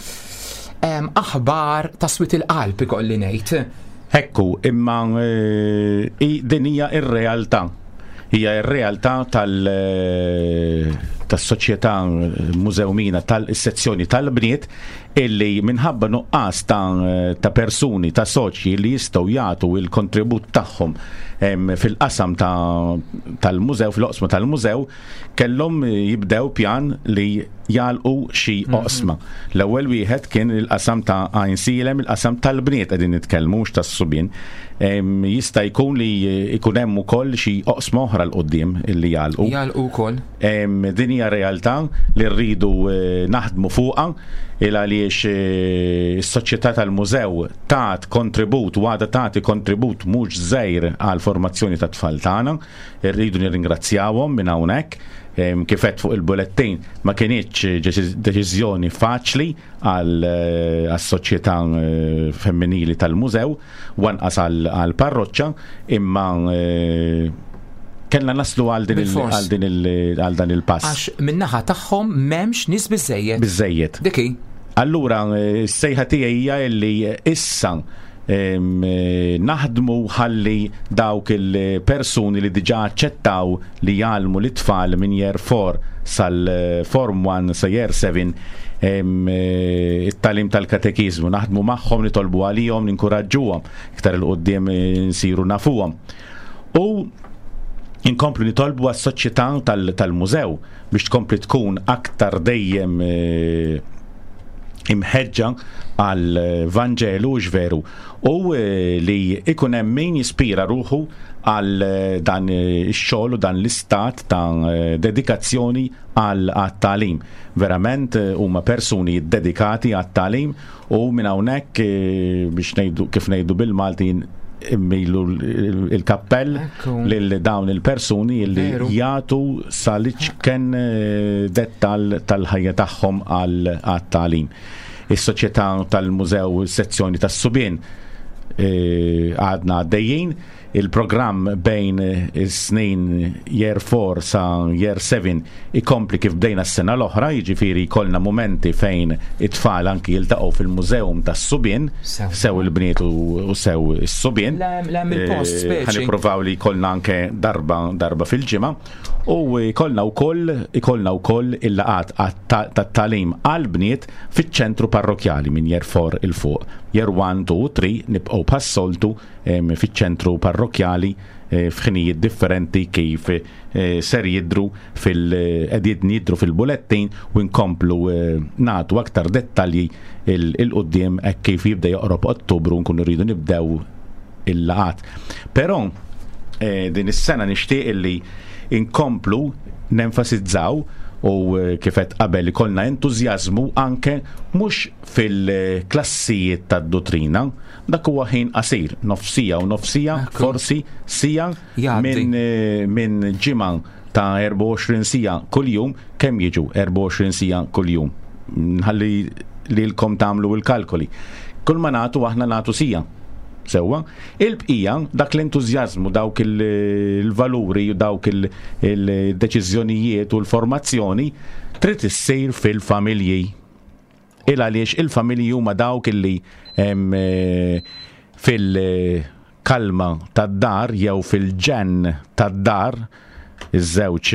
aħbar ta' swied il-qalb, ikolli ngħid. Ekku, imma eh, din hija ir-realtà. Hija ir-realtà tal tas-soċjetà mużewmina tal-sezzjoni tal-bniet illi minħabba nuqqas ta', ta' persuni, ta' soċji li jistgħu jagħtu il-kontribut tagħhom fil-qasam tal-mużew, fil-oqsma tal-mużew, kellhom jibdew pjan li jagħlqu xi mhm. oqsma. L-ewwel wieħed kien il-qasam ta' Għajnsielem, il-qasam tal-bniet qegħdin nitkellmu, mhux tas-subien. Jista' jkun li jkun hemm ukoll xi oqsma oħra 'l quddiem illi jagħlqu. Jagħlqu wkoll. Din hija realtà li rridu eh, naħdmu fuqha, il għaliex eh, is-soċjetà tal-mużew tat kontribut u għadha tagħti kontribut mhux żgħir għal formazzjoni tat-tfal tagħna. Irridu nirringrazzjawhom minn hawnhekk. Kif għedt fuq il-bulettin, ma kinitx deċiżjoni faċli għal-soċjetà eh, femminili tal-mużew, u anqas għal-parroċċa, imma eh, kellna naslu għal din għal din għal dan il-pass. Għax min-naħa tagħhom m'hemmx nies biżejjed. Biżejjed. Dik hi. Allura s-sejħa tiegħi hija li issa naħdmu ħalli dawk il-persuni li diġà aċċettaw li jgħallmu l-tfal minn year four sal-form one sa year seven it-tagħlim tal-katekizmu, naħdmu magħhom, nitolbu għalihom, ninkuraġġuhom, iktar 'il quddiem nsiru nafuhom. U inkomplu nitolbu għas-soċjetà tal-mużew biex tkompli tkun aktar dejjem eh, imħeġġa għal Vanġelu veru u eh, li ikun hemm min jispira ruħu għal eh, dan ix-xogħol u dan l-istat ta' dedikazzjoni għal tagħlim. Verament huma persuni dedikati għat-tagħlim u minn hawnhekk, biex ngħidu kif ngħidu bil-Malti, immilu il-kappell lil dawn il-persuni li jagħtu sal-iċken eh, dettal tal-ħajja tagħhom għal-tagħlim. Is-soċjetà tal-mużew, sezzjoni tas-subien, eh, għadna għaddejjin il-programm bejn is-snin year four sa year seven ikompli kif bdejna s-sena l-oħra, jiġifieri jkollna momenti fejn it-tfal anki jiltaqgħu fil-mużeum tas-subien, sew il-bniet u sew is-subien. Il-post eh, speċi. Ħa nippruvaw li jkollna anke darba darba fil-ġimgħa u jkollna wkoll ikollna wkoll il-laqgħat tat-tagħlim għal-bniet fiċ-ċentru parrokjali minn year four 'il fuq. Year one, two, three nibqgħu bħas-soltu fiċ-ċentru parrokjali eh, f'ħinijiet differenti kif eh, ser jidru fil qegħdin jidru fil-bulettin u nkomplu eh, nagħtu aktar dettalji 'il quddiem hekk kif jibda joqrob Ottubru, nkunu rridu nibdew il-laqgħat. Però din is-sena nixtieq illi inkomplu nenfasizzaw u kif għedt qabel ikollna entużjażmu anke mhux fil-klassijiet tad-dottrina, dak huwa ħin qasir, nofs siegħa u nofs siegħa, forsi siegħa minn eh, min ġimgħa ta' erbgħa u għoxrin siegħa kuljum, kemm jiġu erbgħa u għoxrin siegħa kuljum? Nħalli lilkom tagħmlu il-kalkoli. Kull ma nagħtu aħna nagħtu siegħa. Sewwa, il-bqija dak l-entużjażmu, dawk il-valuri, dawk il-deċiżjonijiet u l-formazzjoni trid issir fil-familji. Il għaliex il-familji huma dawk illi eh, fil-kalma tad-dar jew fil-ġenn tad-dar, iż-żewġ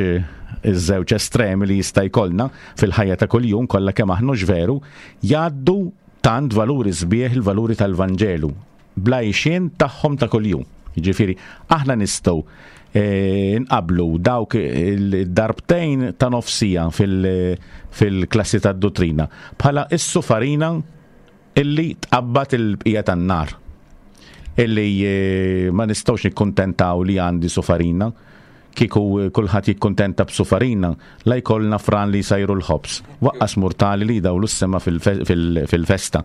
iż-żewġ estremi li jista' jkollna fil-ħajja ta' kuljum kollha kemm aħna veru, jgħaddu tant valuri sbieħ, il-valuri tal-Vanġelu bl-għajxien tagħhom ta' kuljum. Jiġifieri aħna nistgħu eh, nqablu dawk il-darbtejn ta' nofs siegħa fil-klassi tad-dottrina bħala is-sufarina illi tqabbad il-bqija tan-nar. Illi eh, ma nistgħux nikkuntentaw li għandi sufarina. Kieku eh, kulħadd jikkuntenta b'sufarina, la jkollna fran li jsajru l-ħobż, lanqas murtali li jdawlu s-sema fil-festa.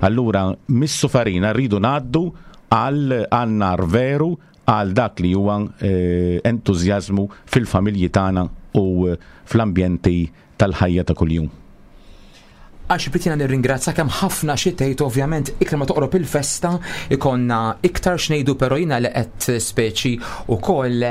Allura, mis-sufarina rridu ngħaddu għal nar veru, għal dak li huwa eh, entużjażmu fil-familji tagħna u fl-ambjenti tal-ħajja ta' kuljum. Għax jiena nirringrazzja kemm ħafna xi tgħid, ovvjament iktar ma toqrob il-festa ikonna iktar x'ngħidu, però jiena li qed speċi ukoll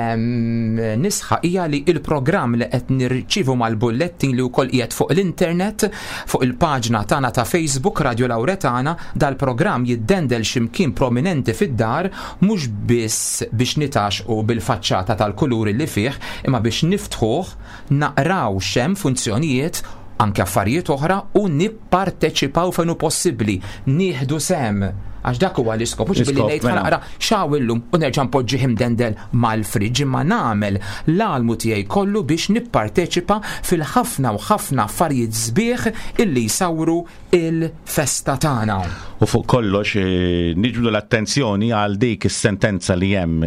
nisħaq hija li il-programm li qed nirċivu mal-bullettin li wkoll qiegħed fuq l-internet, fuq il-paġna tagħna ta' Facebook Radio Lauretana, dal-programm jiddendel x'imkien prominenti fid-dar, mhux biss biex nitgħaxxqu bil-faċċata tal-kuluri li fih, imma biex niftħuh, naqraw x'hemm funzjonijiet, anke affarijiet oħra, u nipparteċipaw fejn hu possibbli, nieħdu sehem. Għax dak huwa l-iskop, mhux billi ngħid mela. Naqra x'hawn illum u nerġa' npoġġih imdendel mal-friġġ, imma nagħmel l-almu tiegħi kollu biex nipparteċipa fil-ħafna u ħafna affarijiet sbieħ illi jsawru il-festa tagħna. U fuq kollox eh, niġbdu l-attenzjoni għal dik is-sentenza li hemm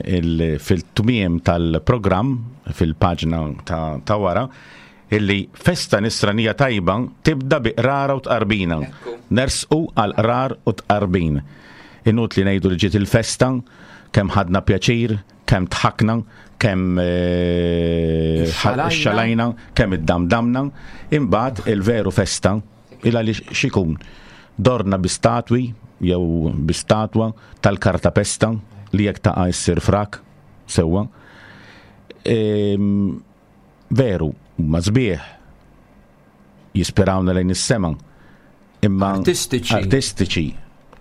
fil-tmiem tal-programm fil-paġna ta', ta wara, illi festa nisranija tajba tibda bi qrara u tqarbina. Nersqu għal qrar u tqarbin. Inutli ngħidu li ġiet il-festa, kemm ħadna pjaċir, kemm dħakna, kemm eh, xalajna, kemm iddamdamna, imbagħad il-veru festa il għaliex xikun dorna bi statwi jew bi statwa tal-kartapesta li jekk taqa' issir frak sewwa. Ehm, veru, ma sbieħ jispirawna lejn is-sema, imma artistiċi artistiċi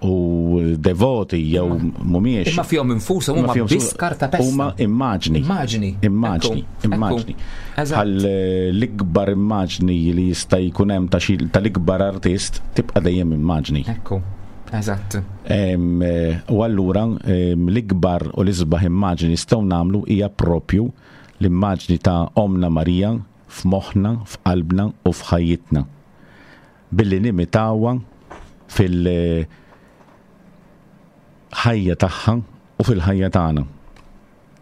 u devoti jew mhumiex. Imma fihom infushom huma biss kartapesta. Huma immaġni. Immaġni. Immaġni, immaġni. Bħal eh, l-ikbar immaġni li jista' jkun hemm ta' xi tal-ikbar artist tibqa' dejjem immaġni. Ekku. Eżatt. Eh, u allura l-ikbar u l-isbaħ immaġni nistgħu nagħmlu hija propju l-immaġni ta' Omna Marija f'moħħna, f'qalbna u f'ħajjitna. Billi nimitawha fil- ħajja tagħha u fil-ħajja tagħna.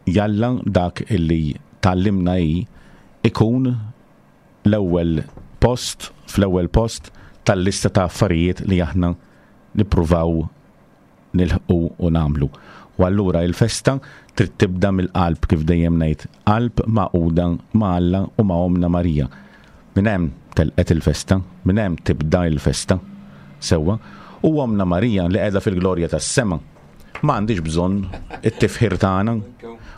Jalla dak illi tgħallimna hi ikun l-ewwel post, fl-ewwel post tal-lista ta' affarijiet li aħna nippruvaw nilħqu u nagħmlu. U allura il-festa trid tibda mill-qalb, kif dejjem ngħid, qalb magħquda ma' Alla u ma' Omna Marija. Minn hemm telqet il-festa, minn hemm tibda il-festa. Sewwa, u Omna Marija li qiegħda fil-glorja tas-sema ma għandix bżonn it-tifħir tagħna.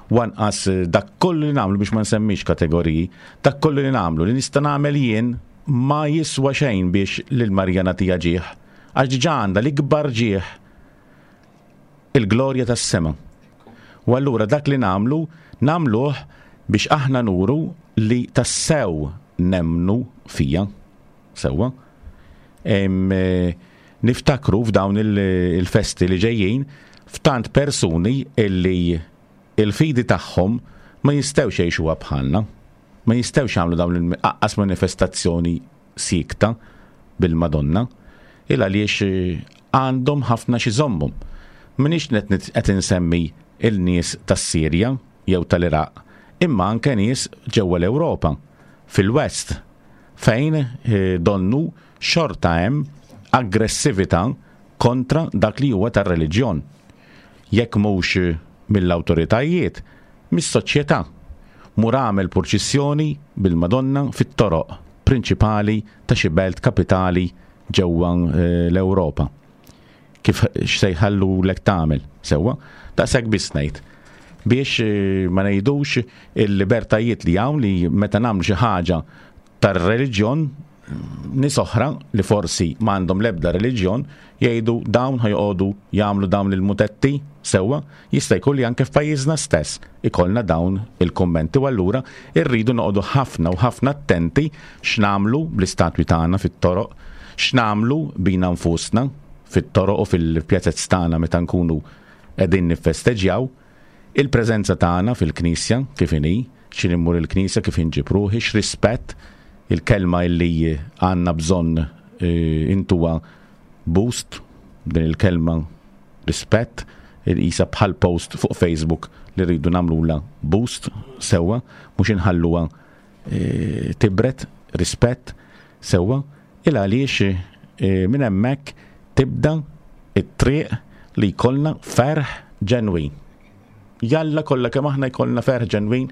Wanqas dak kollu li nagħmlu, biex ma nsemmix kategoriji, dak kollu li nagħmlu li nista' nagħmel jien ma jiswa xejn biex lil Marija nagħtiha ġieħ. Għax diġà għandha l-ikbar ġieħ, il-glorja tas-sema. U allura dak li nagħmlu, nagħmluh biex aħna nuru li tassew nemmnu fiha. Sewwa. Em, eh, niftakru f'dawn il- il-festi li ġejjin f'tant persuni illi il-fidi tagħhom ma jistgħux jgħixuha bħalna. Ma jistgħux jagħmlu dawn il-aqqas manifestazzjoni siekta bil-Madonna, il għaliex eh, għandhom ħafna xi żommhom. M'iniex qed qed insemmi il-nies tas-Sirja jew tal-Iraq, imma anke nies ġewwa l-Ewropa, fil-West, fejn eh, donnu xorta hemm aggressività kontra dak li huwa tar-reliġjon. Jekk mhux mill-awtoritajiet, mis-soċjetà. Mur għamel purċissjoni bil-Madonna fit-toroq prinċipali ta' xi belt kapitali ġewwa eh, l-Ewropa. Kif x'se jħallulek tagħmel, sewwa? Daqshekk biss ngħid. Biex eh, ma ngħidux il-libertajiet li hawn li meta nagħmlu xi ħaġa tar-reliġjon, nies oħra li forsi m'għandhom l-ebda reliġjon jgħidu dawn ħa joqogħdu jagħmlu dawn il-mutetti. Sewwa, jista' jkun li anke f'pajjiżna stess ikollna dawn il-kummenti, u allura rridu noqogħdu ħafna u ħafna attenti x'nagħmlu bl-istatwi tagħna fit-toroq, x'nagħmlu bina nfusna fit-toroq u fil-pjazez tagħna meta nkunu qegħdin niffesteġġjaw, il-preżenza tagħna fil-knisja kif inhi, x'in immur il-knisja, kif inġib ruħi, x'rispett, il-kelma illi għandna bżonn eh, intuha boost, din il-kelma rispett, il-isa bħal post fuq Facebook li rridu nagħmlula boost, sewwa, mhux inħalluha eh, tibret, rispett, sewwa, il għaliex eh, minn hemmhekk tibda it-triq li jkollna ferħ ġenwin. Jalla kollha kemm aħna jkollna ferħ ġenwin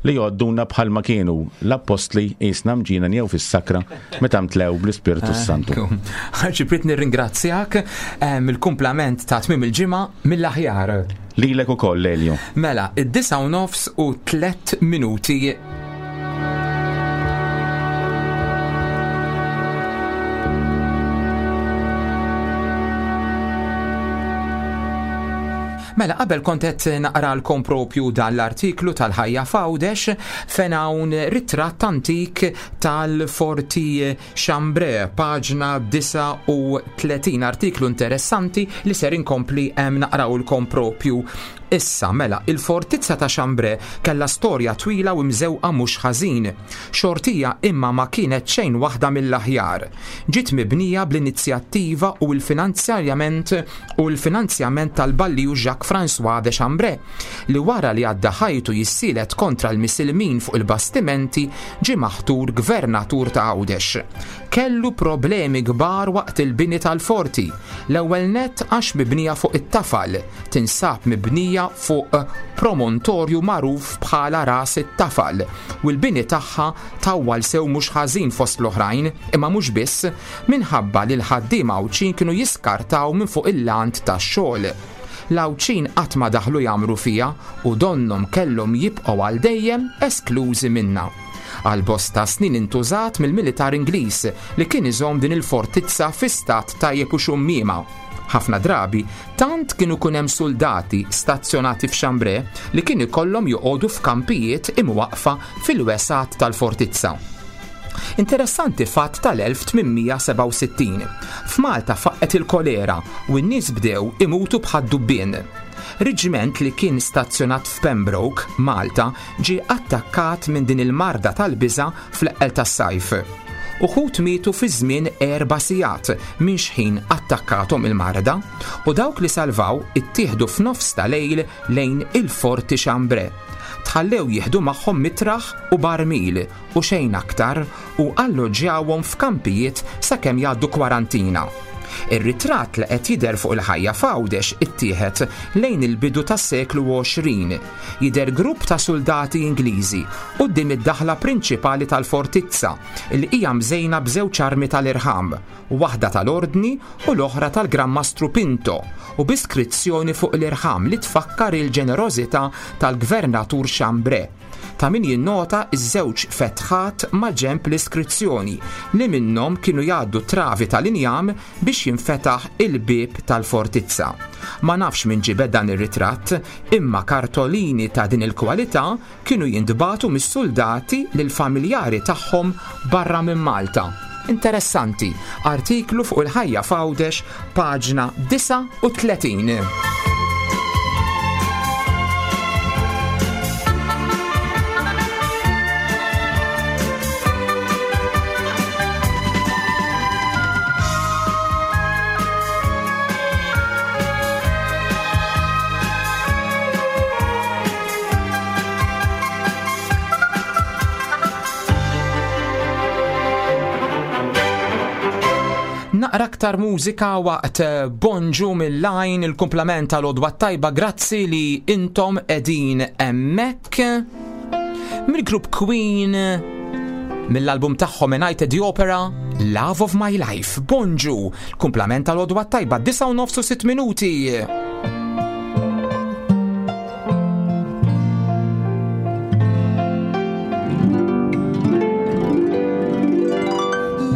li jgħodduna bħalma kienu l-appostli jisna mġina jew fis-sakra meta mtlew bl-Ispirtu Santu. Arċipriet, nirringrazzjak mill-kumplament ta' tmiem il-ġimgħa mill-aħjar. Lilek ukoll, Elio. Mela, id-disgħa u nofs u tliet minuti. Mela, qabel kont qed naqralkom propju dan l-artiklu tal-Ħajja f'Għawdex fejn hawn ritratt antik tal-Forti Chambray, paġna disgħa u tletin, artiklu interessanti li ser inkompli hemm naqrawlkom propju issa. Mela, il-fortizza ta' Chambray kellha storja twila u mżewqa mhux ħażin. Xortija imma ma kienet xejn waħda mill-aħjar. Ġiet mibnija bl-inizjattiva u l-finanzjament u l-finanzjament tal-balliju Jacques François de Chambray, li wara li għadda ħajtu jissielet kontra l-misilmin fuq il-bastimenti ġie maħtur gvernatur ta' Għawdex. Kellu problemi kbar waqt il-bini tal-forti. L-ewwel nett għax mibnija fuq it-tafal, tinsab mibnija fuq promontorju magħruf bħala ras it-tafal, u l-bini tagħha tawwal sew mhux ħażin fost l-oħrajn, imma mhux biss minħabba li l-ħaddiema Għawdxin kienu jiskartaw minn fuq il-lant tax-xogħol. L-Għawdxin qatt ma daħlu jagħmru fiha u donnhom kellhom jibqgħu għal dejjem esklużi minnha. Għal bosta snin intużat mill-militar Ingliż li kien iżomm din il-fortizza fi stat tajjeb u xummiema. Ħafna drabi tant kienu kun hemm soldati stazzjonati f'Chambray li kien ikollhom joqogħdu f'kampijiet imwaqfa fil-wesat tal-fortizza. Interessanti fatt tal-elf tmien mija sebgħa u sittin. F'Malta faqqet il-kolera u n-nies bdew imutu bħad-dubbien. Reġiment li kien stazzjonat f'Pembroke, Malta, ġie attakkat minn din il-marda tal-biża' fl-eqqel tas-sajf. Uħud mietu fi żmien erba' sigħat minn xħin attakkathom il-marda u dawk li salvaw ittieħdu f'nofs ta' lejl lejn il-Forti Chambray. Tħallew jieħdu magħhom mitraħ u barmil u xejn aktar u alloġġjawhom f'kampijiet sakemm jgħaddu kwarantina. Ir-ritratt li qed jidher fuq il-Ħajja f'Għawdex ittieħed lejn il-bidu tas-seklu għoxrin. Jidher grupp ta' soldati Ingliżi quddiem id-daħla prinċipali tal-fortizza li hija mżejna b'żewġ armi tal-irħam, waħda tal-Ordni u l-oħra tal-Gran Mastru Pinto, u b'iskrizzjoni fuq l-irħam li tfakkar il-ġenerożità tal-Gvernatur Chambray. Ta' min jinnota iż-żewġ fetħat ma' ġenb l-iskrizzjoni li minnhom kienu jgħaddu travi tal-injam biex jinfetaħ il-bieb tal-fortizza. Ma nafx min ġibed dan ir-ritratt, imma kartolini ta' din il-kwalità kienu jintbagħtu mis-soldati lill-familjari tagħhom barra minn Malta. Interessanti, artiklu fuq il-Ħajja f'Għawdex, paġna disgħa u tletin. Naqra aktar mużika waqt Bonġu mill-Lajn, il-kumplament tal-Għodwa Tajba, grazzi li intom edin hemmhekk. Mill-grupp Queen, mill-album tagħhom A Night at the Opera, Love of My Life. Bonġu, kumplament tal-Għodwa Tajba, disgħa u nofs u sitt minuti.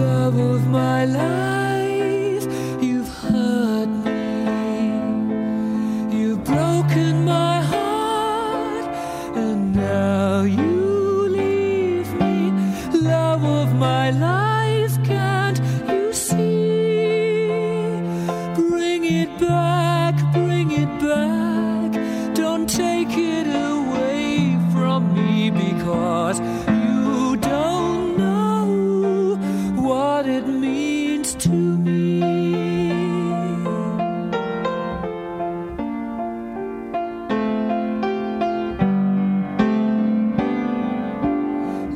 Love of my life, you've hurt me, you've broken my heart, and now you leave me. Love of my life, can't you see? Bring it back, bring it back, don't take it away from me, because you don't know what it means to me.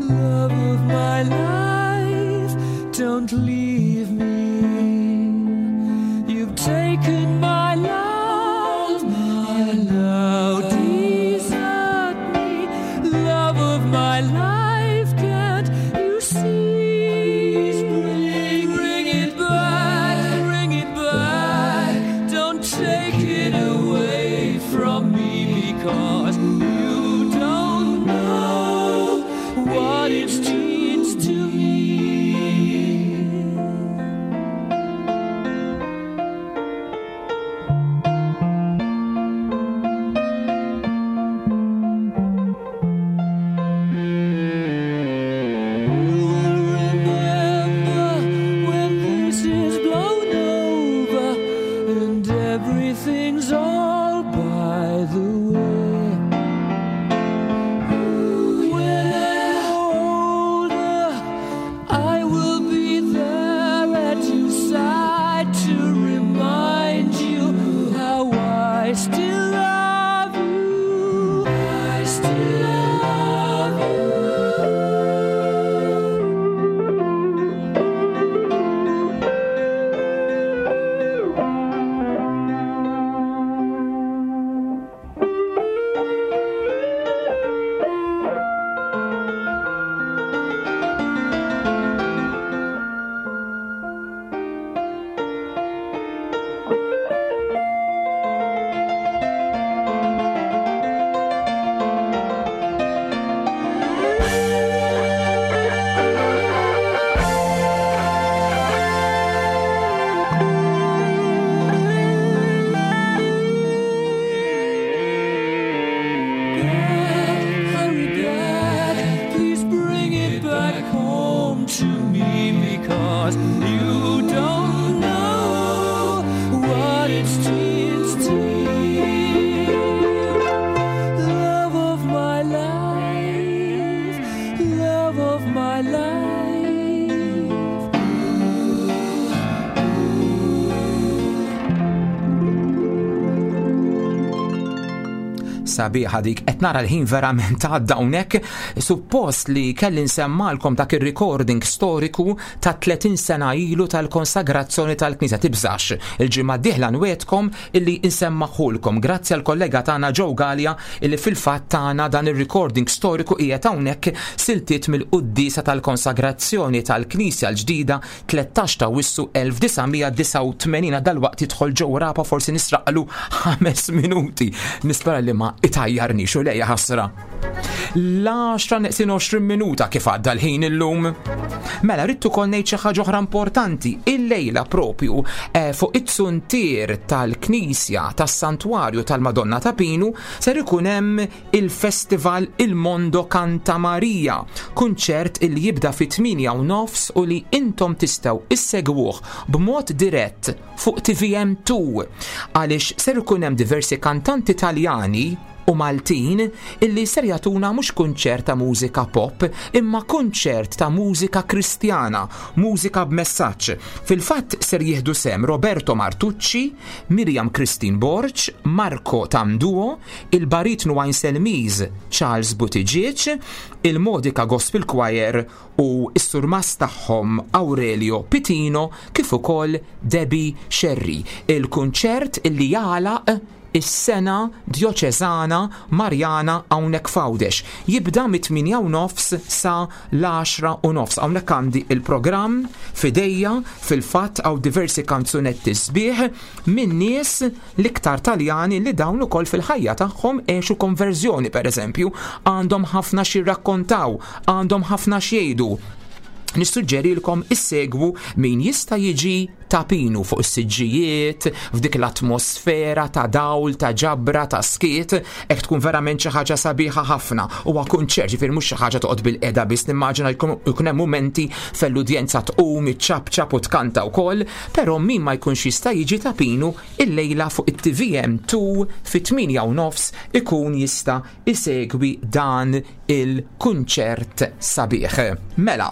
Love of my life, don't leave me. You've taken my love, you now desert me. Love of life, can't you see? Bring, bring it back, bring it back. Don't take it away from me because you don't know what it means to me. Remember when this is blown over and everything's all by the way. When I'm older, I will be there at your side to remind you how I still love you. I still love you. Hurry back, please bring it back home to me because you don't know what it means to me. Love of my life, love of my life. Sabiħa dik, qed nara l-ħin verament għadda hawnhekk. Suppost li kelli nsemmalkom dak ir-recording storiku ta' tletin sena ilu tal-konsagrazzjoni tal-Knisja. Tibżax, il-ġimgħa d-dieħla nwedkom illi nsemmaħulkom. Grazzi għal kollega tagħna Joe Gallia illi fil-fatt tagħna dan ir-recording storiku qiegħed hawnhekk siltiet mill-quddiesa tal-konsagrazzjoni tal-Knisja l-ġdida tlettax ta' Wissu elf disa' mija disgħa u tmenin. Dalwaqt jidħol Joe Rapa, forsi nisraqlu ħames minuti. Nispera li ma itajjarni xu lejja ħasra. L-għaxra neqsin għoxrin minuta kif għadda l-ħin illum. Mela, rrid ukoll ngħid xi ħaġa oħra importanti. Illejla propju, eh, fuq it-suntier tal-Knisja tas-Santwarju tal-Madonna ta' Pinu ser ikun hemm il-Festival Il Mondo Canta Maria, kunċert illi jibda fit-tmienja u nofs u li intom tistgħu issegwuh b'mod dirett fuq T V M two, għaliex ser ikun hemm diversi kantanti Taljani u Maltin illi ser jagħtuna mhux kunċert ta' mużika pop, imma kunċert ta' mużika kristjana, mużika b'messaġġ. Fil-fatt ser jieħdu sem Roberto Martucci, Miriam Christine Borg, Marco Tamduo, il-baritnu Selmiz Charles Buttigieg, il-Modica Gospel Choir u s-surmas tagħhom Aurelio Pitino, kif ukoll Debbie Sherry. Il-kunċert illi jagħlaq is-sena djoċeżana Marjana hawnhekk f'Għawdex. Jibda mit-tmienja u nofs sa l-għaxra u nofs. Hawnhekk għandi il-programm fidejja, fil-fatt hawn diversi kanzunetti sbieħ minn nies l-iktar Taljani li dawn ukoll fil-ħajja tagħhom għexu konverżjoni, pereżempju, għandhom ħafna xi jirrakkontaw, għandhom ħafna xi jgħidu. Nissuġġerilkom issegwu min jista' jiġi ta' Pinu fuq is-siġġijiet, f'dik l-atmosfera ta' dawl, ta' ġabra, ta' skiet, hekk tkun verament xi ħaġa sabiħa ħafna. Huwa kunċert, ġifieri mhux xi ħaġa toqgħod bil-qeda biss, nimmaġina jkun, jkun hemm mumenti fejn l-udjenza tqum, iċċabċab u tkanta wkoll, però min ma jkunx jista' jiġi ta' Pinu illejla fuq it-T V M two fit-tmienja u nofs ikun jista' isegwi dan il-kunċert sabiħ. Mela.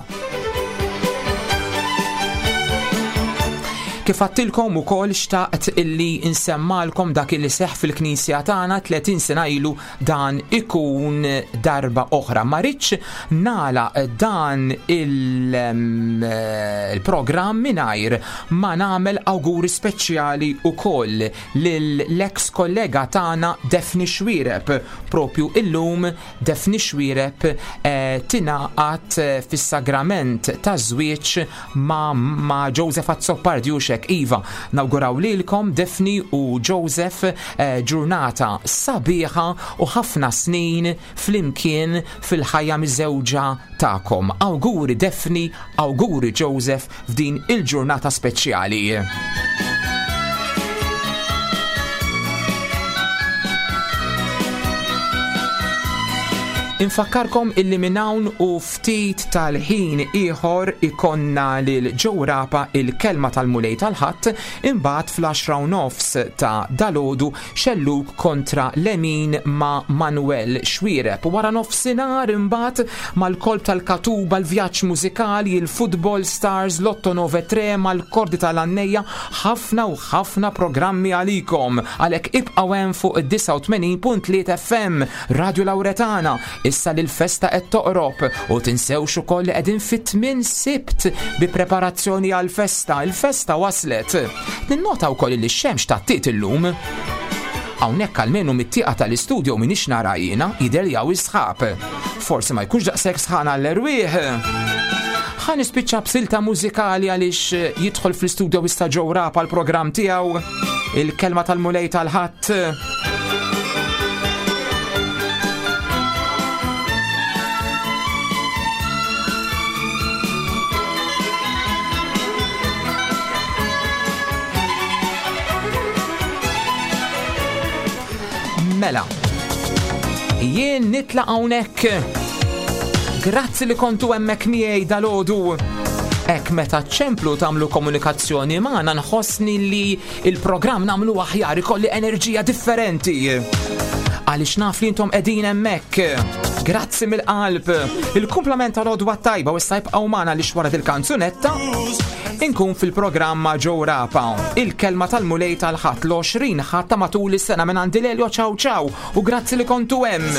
Kif għattilkom ukoll xtaqt illi insemmalkom dak illi seħ fil-knisja tagħna tletin sena ilu, dan ikun darba oħra. Ma rridx nagħlaq dan il-programm mingħajr ma nagħmel awguri speċjali ukoll lill-ex kollega tagħna Daphne Xuereb. Propju illum Daphne Xuereb eh, tingħaqad fis-sagrament taż-żwieġ ma', ma' Joseph Azzopardi u xek. Iva, nawguraw lilkom Daphne u Joseph eh, ġurnata sabiħa u ħafna snin flimkien fil-ħajja miżewġa tagħkom. Awguri Daphne, awguri Joseph f'din il-ġurnata speċjali. Infakkarkom illi minn hawn u ftit tal-ħin ieħor ikonna lil Joe Rapa il-kelma tal-Mulej tal-Ħadd, imbagħad fl-għaxra u nofs ta' dalodu xelluk kontra lemin ma' Manuel Xuereb. Wara nofsinhar imbagħad mal-kolb tal-Katuba, l-vjaġġ mużikali, il-Football Stars, Lotto nove tre, mal-Kordi tal-Annejja, ħafna u ħafna programmi għalikom. Għalhekk ibqgħu hemm fuq id-disgħa u tmenin punt tlieta F M Radio Lauretana. Issa li l-festa qed toqrob u tinsewx ukoll li qegħdin fit-tmien Sibt bi preparazzjoni għall-festa. Il-festa waslet. Ninnota wkoll li x-xemx tattiet illum. Hawnhekk almenu mit-tieqa tal-istudio m'iniex nara jiena, jidher li hawn is-sħab. Forsi ma jkunx daqshekk sħan għall-erwieħ. Ħa nispiċċa b'silta mużikali għaliex jidħol fl-istudio issa Joe Rapa l-programm tiegħu, il-kelma tal-Mulej tal-Ħadd. Mela, jien nitlaq hawnhekk. Grazzi li kontu hemmhekk miegħi dalgħodu. Hekk meta ċemplu tagħmlu komunikazzjoni magħna nħossni li il-programm nagħmlu aħjar, ikolli enerġija differenti. Għaliex naf li intom qegħdin hemmhekk. Grazzi mill-qalb. Il-kumplament tal-għodwa tajba u issa jibqgħu magħna li wara il-kanzunetta inkun fil-programma Joe Rapa. Il-kelma tal-Mulej tal-Ħadd l-għoxrin ħadd ta' matul is-sena minn għandi Lelio. Ciao ciao u grazzi li kontu hemm.